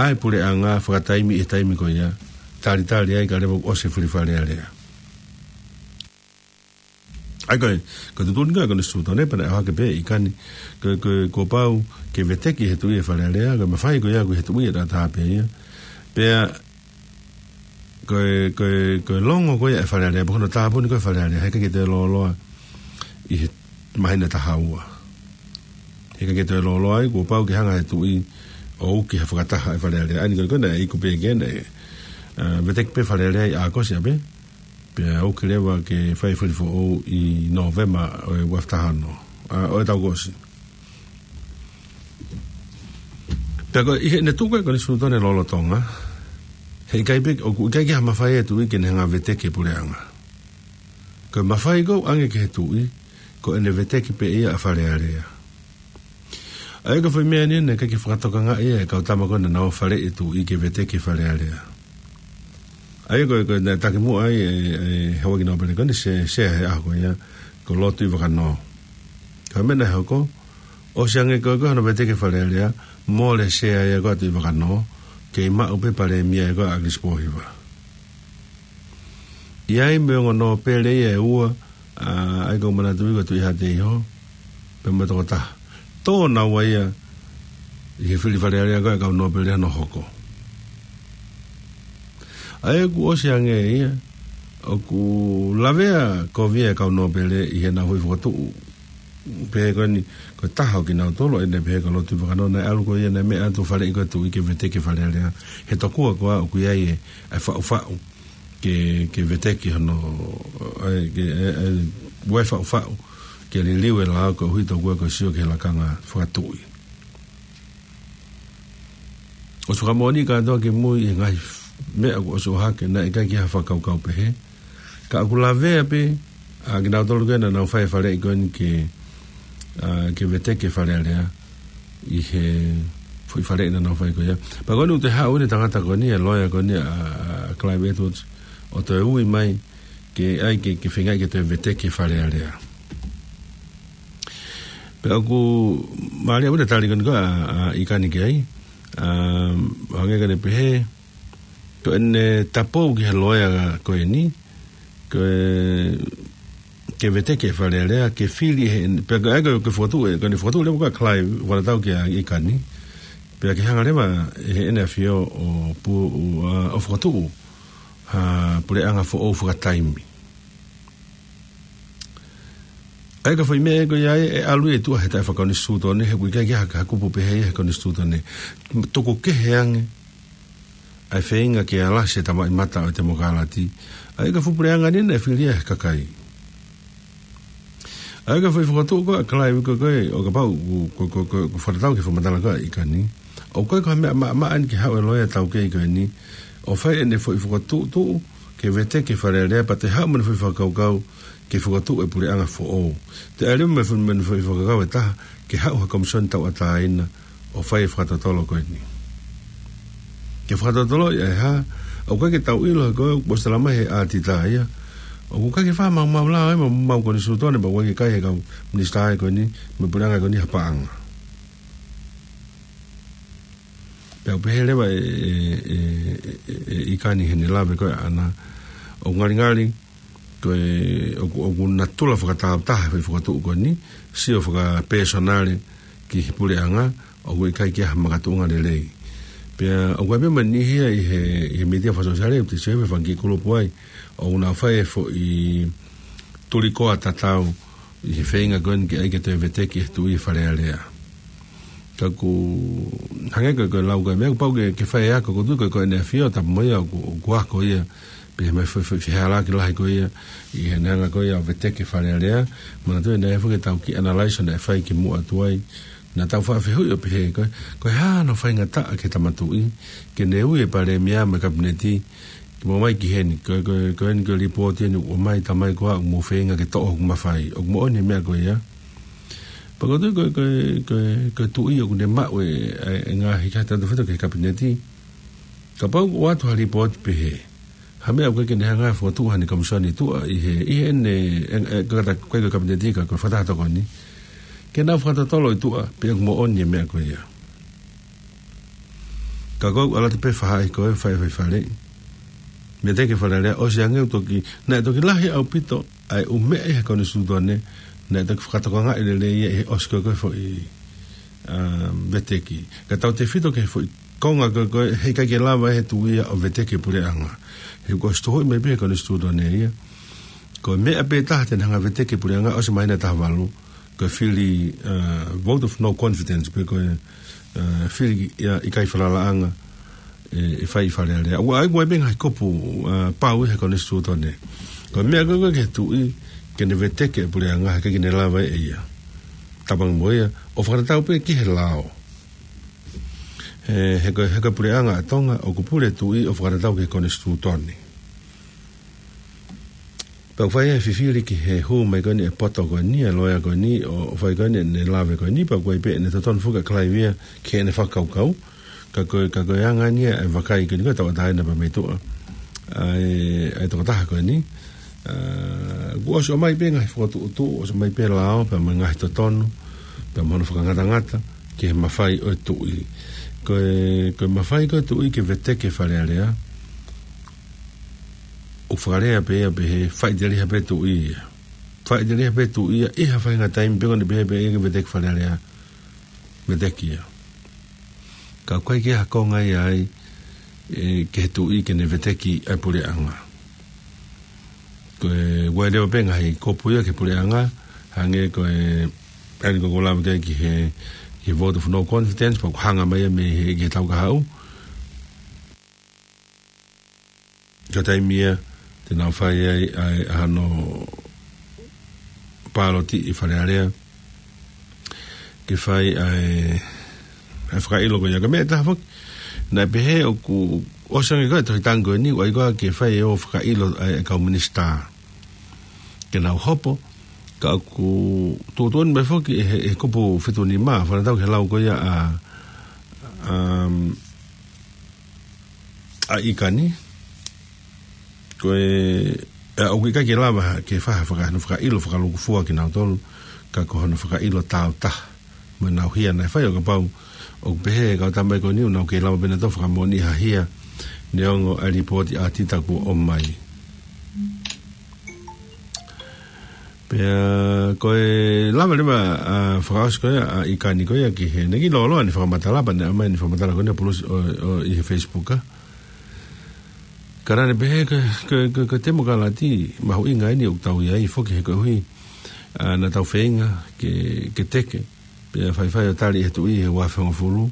ʻa e puleʻanga fakataimi ʻi he taimi ko ia, talitali ai ka leva ʻosi e fili Fale Alea. ʻA ia ko e, ko e tuʻutuʻuni ko ē ʻa e konisitūtone pea naʻe ʻohake pē ʻe ʻIkani, ko e, ko e, kuo pau ke veteki he tuʻi e Fale Alea, ko e mafai ko ia ʻoku ʻi he tuʻi ʻe taha pē ia. Pea ko e, ko e, ko e longo ko ia e Fale Alea, pe ko hono tāpuni ko ē Fale Alea, he ʻikai ke toe lōloa ʻi he māhina ʻe taha ua. He ʻikai ke toe lōloa ai, kuo pau ke hanga he tuʻi ʻo uki ha fakataha e Fale Alea. ʻA ia ko e, ko e naʻe iku pē ke naʻe, ʻa, veteki pē Fale Alea ʻi ʻAokosi ʻapē, pea uki leva ke fai fili foʻou ʻi Nōvema ʻo e ua afe taha ono, ʻa, ʻo e taʻu kuo ʻosi. Pea ko e ʻi heʻene tuʻu ko ē konisitūtone lolotonga, he ʻikai pē, ʻoku ʻikai ke ha mafai e tuʻi ke ne hanga veteki e puleʻanga. Ko e mafai ko ē ʻoku ʻange ki he tuʻi, ko ʻene veteki pē ia ʻa Fale Alea. ʻA ia ko e foʻi meʻa ni naʻe ʻikai ke fakatokangaʻi ia ʻe he kau tama ko ē naʻa nau faleʻi e tuʻi ke veteki Fale Alea. ʻA ia ko e, ko e naʻe taki muʻa ai e, e Houʻeiki Nōpele ko eni, Sea, Sea he ʻaho ko ia, ko Lord Tuʻivakanō. Ko e meʻa naʻe hoko, ʻosi ange ko ē ko hono veteki Fale Alea, mole Sea ia ko ē ʻa Tuʻivakanō, kei maʻu pē Palēmia ia ko ē ʻa Kilisi Pōhiva. ʻI ai mo e ongo nōpele ia ʻe ua, ʻa, ʻa ia ʻoku ou manatuʻi ko Tuʻihaʻateiho, pea mo e tokotaha. Tō naua ia ʻi he fili Fale Alea ko ē ʻa e kau nōpele naʻe hoko. ʻA ia kuo ʻosi ange ia, ʻoku lavea kovi e kau nōpele ʻi heʻenau foʻi fokotuʻu. Pehē ko eni, ko e taha ʻo kinautolu, ʻa ia naʻe pehē ko Lord Tuʻivakanō naʻe ʻalu ko ia naʻe meʻa atu faleʻi ko e tuʻi ke veteki Fale Alea. He tokua ko ā ʻoku ʻi ai e, e faʻufaʻu ke, ke veteki hono, e, ke, e, e, ʻoku ʻi ai e faʻufaʻu ke liliu e lao koeʻuhi tokua ko e sio ki he lakanga fakatuʻi. ʻOsi fakamoʻoni kātoa kimui ʻi he ngaahi meʻa kuo ʻosi ʻohake, naʻe ʻikai ke ʻi ai ha fakakaukau pehē. Ka ʻoku lavea pē ʻa kinautolu ko ē naʻa nau fai e faleʻi ko eni ke, ʻa, ke veteki e Fale Alea ʻi he foʻi faleʻi naʻa nau fai ko ia. Pea ko eni ʻoku toe haʻu eni e tangata ko eni, e loea ko eni ʻa, ʻa Clive Edwards, ʻo toe ui mai ke ʻai ke, ke feingaʻi ke toe veteki e Fale Alea. Pea ʻoku mālie ʻaupito e tali ko eni ko ē ʻa, ʻa ʻIkani ki ai, ʻa, hangē ko ʻene pehē, ko ʻene tapou ki he loea ko eni, ko e, ke veteki e Fale Alea, ke fili he, pea ko e, ko e fokotuʻu, ko ʻene fokotuʻu leva ko ē ʻa Clive, ʻoku ʻalu atu kia ʻIkani, pea ke hanga leva ʻe heʻene ʻafio ʻo pu-, ʻo, ʻa, ʻo fokotuʻu ha puleʻanga foʻou fakataimi. ʻA ia ko e foʻi meʻa ko ia ʻe ʻalu ia ʻi tuʻa he taʻefakakonisitūtone, he ʻoku ʻikai ke ʻi ai ha kupu pehē ia he konisitūtone. Tuku kehe ange ʻa e feinga ke alasi e tamaʻimata ʻo e temokalati. ʻA ia ko e fuʻu puleʻanga ni naʻe fili ia he kakai. ʻA ia ko e foʻi fokotuʻu ko ē ʻa Clive ko ē ko ē, ʻo kapau ʻoku, ko, ko, ko, ko fakatatau ki he fakamatala ko ē ʻa ʻIkani, ʻoku ʻikai ko ha meʻa maʻamaʻa eni ke haʻu e loea taukei ko eni ʻo fai ʻene foʻi fokotuʻutuʻu ke veteki e Fale Alea pea toe haʻu mo ʻene foʻi fakakaukau ke fokotuʻu e puleʻanga foʻou. Toe ʻai leva mo e foʻi, mo ʻene foʻi fakakaukau ʻe taha ke haʻu ha komisione tauʻatāina ʻo fai e fakatotolo ko eni. Ke fakatotoloʻi ʻa e hā, ʻoku ʻikai ke tau ʻilo he ko e, kuo ʻosi talamai he ʻātita ia, ʻoku ʻikai ke fakamaumau lao ia mo e konisitūtone, pea ʻoku ʻikai ke kai e kau minisitā ia ko eni mo e puleʻanga ko eni ha paʻanga. Pea ʻoku pehē leva ʻe, ʻe, ʻe, ʻe, ʻe ʻIkani heʻene lave ko ē ʻaʻana, ʻoku ngalingali ko e, ʻoku, ʻoku natula fakatāutaha e foʻi fokotuʻu ko eni, sio fakapēsonale ki he puleʻanga, ʻoku ʻikai ke ʻi ai ha makatuʻunga lelei. Pea ʻoku ʻi ai pē mo e niʻihi ia ʻi he, ʻi he mītia fakasōsiale, ʻoku te sio he fanga kiʻi kulupu ai, ʻoku nau fai e foʻi tulikoa tatau ʻi he feinga ko eni ke ʻai ke toe veteki e tuʻi e Fale Alea. Ka ʻoku hangē ko e, ko e lau ko e meʻa, kuo pau ke, ke fai e ako, ʻoku ou tui ko e, ko ʻene ʻafio, tapu mo ia, ʻoku, ʻoku ako ia, pea mei he foʻi, foʻi, foʻi fehālaaki lahi ko ia ʻi heʻene hanga ko ia ʻo veteki e Fale Alea. Manatuʻi naʻe ʻi ai foki ʻetau kiʻi analysis naʻe fai kimuʻa atu ai, naʻa tau faʻa fehuʻi ʻo pehē, ko e, ko e hā hono faingataʻa ki he tama tuʻi ke ne ui e palēmia mo e kapineti ke mou ō mai ki heni, ko e, ko e, ko eni ko e lipooti eni ʻoku ʻomai, tamai, ko au ʻoku mou feinga ke toʻo hoku mafai. ʻOku moʻoni e meʻa ko ia. Pea ko e tuʻi ko e, ko e, ko e, ko e tuʻi ʻoku ne maʻu e, e, e ngaahi kakai tefito ki he kapineti. Kapau ʻoku ʻoatu ha lipooti pehē, ha meʻa ʻoku ʻikai ke ne hanga ʻo fokotuʻu ha komisione tuʻa ʻi he, ʻi heʻene, e, e, ko e kata, ko e kapineti ka ko e fakataha tokoni, ke nau fakatotolo e tuʻa pe ʻoku moʻoni e meʻa ko ia. Ka ko e ʻalu atu pē ʻo fakahā ko e fai, fai Fale, veteki Fale Alea, ʻosi ange ʻoku toki, naʻe toki lahi ʻaupito ʻa e ʻū meʻa ʻi he konisitūtone naʻe toki fakatokangaʻi lelei ia ʻi he ʻosi ko e, ko e foʻi, um, veteki. Ka tau tefito ki he foʻi konga ko e, ko e heʻikai ke lava ʻe he tuʻi ia ʻo veteki e puleʻanga. He kuo ʻosi tohoʻi mai pē ʻe he konisitūtone ia, ko e meʻa pē taha te ne hanga ʻo veteki e puleʻanga ʻosi māhina ʻe taha valu, ko e fili, uh, vote of no confidence, pe ko e, uh, fili ia ʻikai falalaʻanga, ʻe, ʻe fai ʻi Fale Alea. ʻOku ʻi ai, ʻoku ʻi ai pē ngaahi kupu, uh, pau ʻi he konisitūtone. Ko e meʻa ko e, ko e ki he tuʻi ke ne veteki e puleʻanga, heʻikai ke ne lava ʻe ia. Tapu ange mo ia, ʻo fakatatau pē ki he lao. He, he ko e, he ko e puleʻanga ʻa Tonga, ʻoku pule e tuʻi ʻo fakatatau ki he konisitūtone. Pea ʻoku fai e fifili ki he hū mai ko eni e poto ko eni, e loea ko eni, ʻo, ʻo fai ko eni ʻene lave ko eni, pea ʻoku ʻi ai pē ʻene totonu foki ʻa Clive ia ki heʻene fakakaukau. Ka ko e, ka ko e anga eni ia e vakai ko eni ko e tauʻatāina pea mei tuʻa ʻa e, ʻa e tokotaha ko eni. ʻA, kuo ʻosi ʻomai pē ngaahi fokotuʻutuʻu, ʻosi ʻomai pē lao, pea mo e ngaahi totonu, pea mo hono fakangatangata ki he mafai ʻo e tuʻi. Ko e, ko e mafai ko e tuʻi ke veteki e Fale Alea, ʻoku fakalea pē ia pehē, faʻiteliha pē tuʻi ia. Faʻiteliha pē tuʻi ia, ʻi ha faʻahinga taimi pē ko eni pehē pē ia ke veteki Fale Alea, veteki ia. Ka ʻoku ʻikai ke ʻi ai ha konga ia ai, ʻe, ki he tuʻi ke ne veteki ʻa e puleʻanga. Ko e, ʻoku ʻi ai leva pē ngaahi kupu ia ki he puleʻanga, hangē ko e, ʻa eni ko ʻeku lave ki ai ki he, ki he vote of no confidence, pea ʻoku hanga mai ia mei he, ki he taʻu kahaʻu. Ko e taimi ia te nau fai ai ʻa e, ʻa hono pāloti ʻi Fale Alea, ke fai ʻa e, ʻa e fakaʻilo ko ia. Ka meʻa ʻe taha foki, naʻe pehē ʻoku ʻosi ange ko e tohi tangi ko eni, ʻoku ʻai ko ā ke fai ʻo fakaʻilo ʻa e, ʻa e kau minisitā ke nau hopo, ka ʻoku tuʻutuʻuni mai foki ʻe he, ʻe he kupu fitu nima, fakatatau ki he lau ko ia ʻa, um, ʻa ʻIkani, ko e, ʻa, ʻoku ʻikai ke lava ke fai ha faka-, hono fakaʻilo fakalūkufua kinautolu, ka ko hono fakaʻilo tāutaha mo ʻenau hia naʻe fai. ʻO kapau ʻoku pehē ʻe he kau tama ko eni ʻoku nau kei lava pē ʻenautolu ʻo fakamoʻoniʻi ha hia, neongo ʻa e lipooti ʻa Tita kuo ʻomai. Pea ko e lava leva, ʻa, fakaʻosi ko ia ʻa ʻIkani ko ia ki heʻene kiʻi lōloa ʻene fakamatala, pea naʻe ʻomai ʻene fakamatala ko eni ʻa Pulusi ʻo, ʻo, ʻi he Facebook, ʻa. Ka naʻá ne pehē ko e, ko e, ko e, ko e temokalati mahuʻinga eni ʻoku tau ʻi ai foki he koeʻuhi, ʻa, naʻa tau feinga ke, ke teke, pea faifai ʻo tali ʻe he tuʻi he ua afe hongofulu,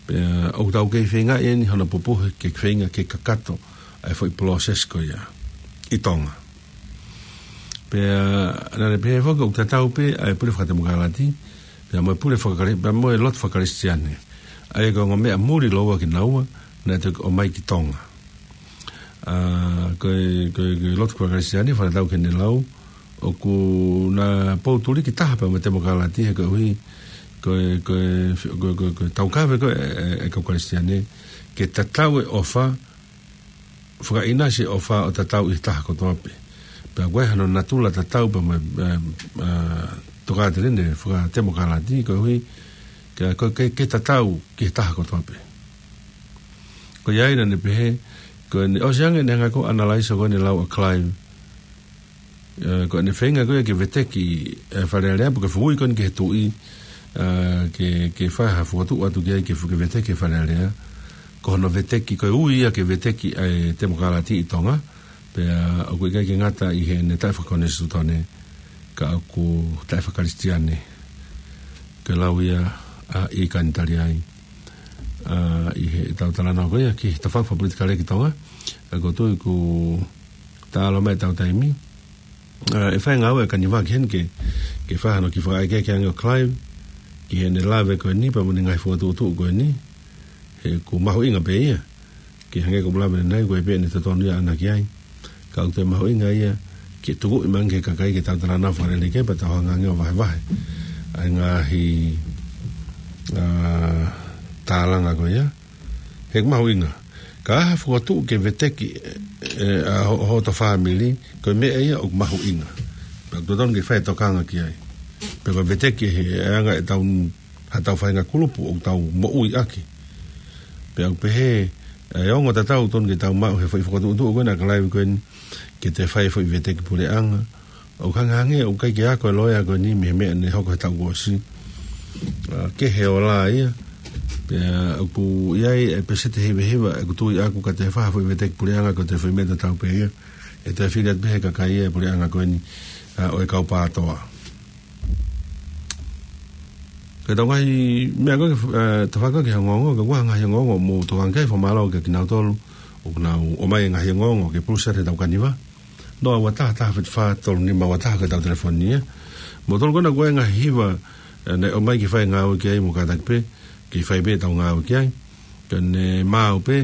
pea ʻoku tau kei feinga eni hono pupuhi ke feinga ke kakato ʻa e foʻi process ko ia ʻi Tonga. Pea naʻá ne pehē foki ʻoku tatau pē ʻa e pule fakatemokalati pea mo e pule fakakali-, pea mo e lotu fakakalisitiane. ʻA ia ko e ongo meʻa muli lōua kinaua naʻe toki ʻomai ki Tonga. ʻA, ko e, ko e, ko e lotu fakakalisitiane, fakatatau ki heʻene lau, ʻoku na poutuliki taha pea mo e temokalati he koeʻuhi ko e, ko e, ko e, ko e, ko e taukave ko e, e, e kau Kalisitiane ke tatau e ʻofa, fakaʻinasi e ʻofa ʻo tatau ʻi he taha kotoa pē. Pea ko e hano natula tatau pea mo e, e, e, tokāteline fakatemokalati koeʻuhi ke, ko e, ke, ke tatau ki he taha kotoa pē. Ko ia ai naʻá ne pehē, ko ʻene ʻosi ange ʻene hanga ko ē ʻo analyze ko ʻene lau ʻa Clive, ʻa, ko ʻene feinga ko ia ke veteki, ʻa, Fale Alea, pe ko e fui ko eni ki he tuʻi, ʻa, ke, ke fai ha fokotuʻu atu ki ai ke fu-, ke veteki Fale Alea. Ko hono veteki, ko e ui ia ke veteki ʻa e temokalati ʻi Tonga, pea ʻoku ʻikai ke ngata ʻi heʻene taʻefakakonisitūtone, ka ʻoku taʻefakalisitiane. Ko e lau ia ʻa ʻIkani tali ai, ʻa, ʻi heʻetau talanoa ko ia ki he tafaʻaki fakapolitikale ki Tonga, ʻa, ʻoku ou tui ʻoku taʻalo mai ʻetau taimi. ʻA, ʻe fai e ngāue ʻa Kaniva ki heni ke, ke fai hano kiʻi fakaʻekeʻeke ange ʻo Clive ki heʻene lave ko eni pea mo ʻene ngaahi fokotuʻutuʻu ko eni. He ʻoku mahuʻinga pē ia. Ke hangē ko ʻeku lave ʻanenai, ʻoku ʻi ai pē ʻene totonu ia ʻaʻana ki ai. Ka ʻoku toe mahuʻinga ia ke tukuʻi mai ange ki he kakai ke tau talanoa fakalelei ki ai pea tau hanga ange ʻo vahevahe ʻa e ngaahi, ā, tālanga ko ia. He ʻoku mahuʻinga. Ka ʻi ai ha fokotuʻu ke veteki, ē, ʻa ho-, hoto fāmili, ko e meʻa ia ʻoku mahuʻinga. Pea ʻoku totonu ke fai e tokanga ki ai. Pea ko e veteki he anga ʻetau, haʻatau faʻahinga kulupu ʻoku tau moʻui ʻaki. Pea ʻoku pehē, ʻa e ongo tatau totonu ke tau maʻu he foʻi fokotuʻutuʻu ko ena ʻa Clive ko eni, ke toe fai e foʻi veteki puleʻanga. ʻOku hangehangē ʻoku ʻikai ke ako e loea ko eni mei he meʻa ne hoko he taʻu kuo ʻosi. Ā, kehe e ola ia. Pea ʻoku ʻi ai e peseti hivahiva ʻoku tui ʻaku ka toe fai ha foʻi veteki puleʻanga ko e toe foʻi meʻa tatau pē ia. ʻE toe fili atu pē he kakai ia e puleʻanga ko eni, ā, ʻo e kau PATOA. Ko ʻetau ngaahi meʻa ko ē, ē, tafaʻaki ki he ongoongo, ka ʻoku ʻi ai ha ngaahi ongoongo mou tokanga ki ai, fakamālō kia kinautolu ʻoku nau ʻomai e ngaahi ongoongo ke pulusi atu heʻetau kaniva. Noa ua taha taha fitu fā tolu nima ua taha ko ʻetau telefoni ia. Moutolu ko ena ʻoku ʻi ai e ngaahi hiva, ē, ne ʻomai ke fai e ngāue ki ai, mou kātaki pē ke fai pē ʻetau ngāue ki ai. Ka ne maau pē,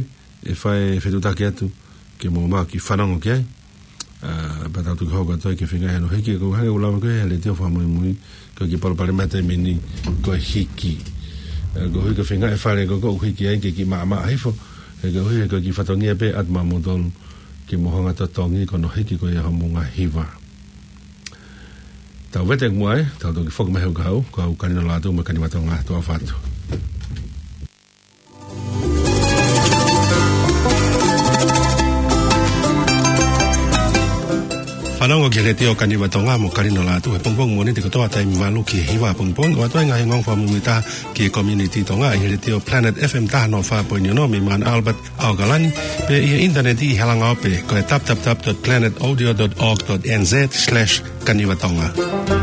ʻe fai e fetuʻutaki atu ke mou maʻu ke fanongo ki ai. Ā, pea tau toki hoko atu ai ki he feinga hono hiki, ko e hangē ko e lave ko ē he Letiō Fakamuimui, ko e kiʻi palopalema he taimi ni ko e hiki. Ā, ko e hiki, ko e feinga e fale ko ē ʻoku hiki ai ke kiʻi maʻamaʻa hifo, he ko e hiki, ko e kiʻi fatongia pē atu maʻamoutolu ke mou hanga ʻo totongi ko hono hiki ko ia homou ngaahi hiva. Tau vete muʻa ē, tau toki foki mai he ʻoku kau, ko au Kalino Lātū mo e Kaniva Tonga, tuʻa ʻofa atu. Fanongo ki he Letiō Kaniva Tonga mo Kalino Lātū he pongipongi Mōnite kotoa taimi valu ki he hiva pongipongi, ʻo ʻoatu ai e ngaahi ongoongo fakamuimui ʻe taha ki he community Tonga ʻi he Letiō Planet F M taha noa fā poini ono mei Mount Albert, ʻAokalani, pea ʻi he ʻinitaneti ʻi he langaope ko e w w w dot planet audio dot org dot n z slash kaniva tonga.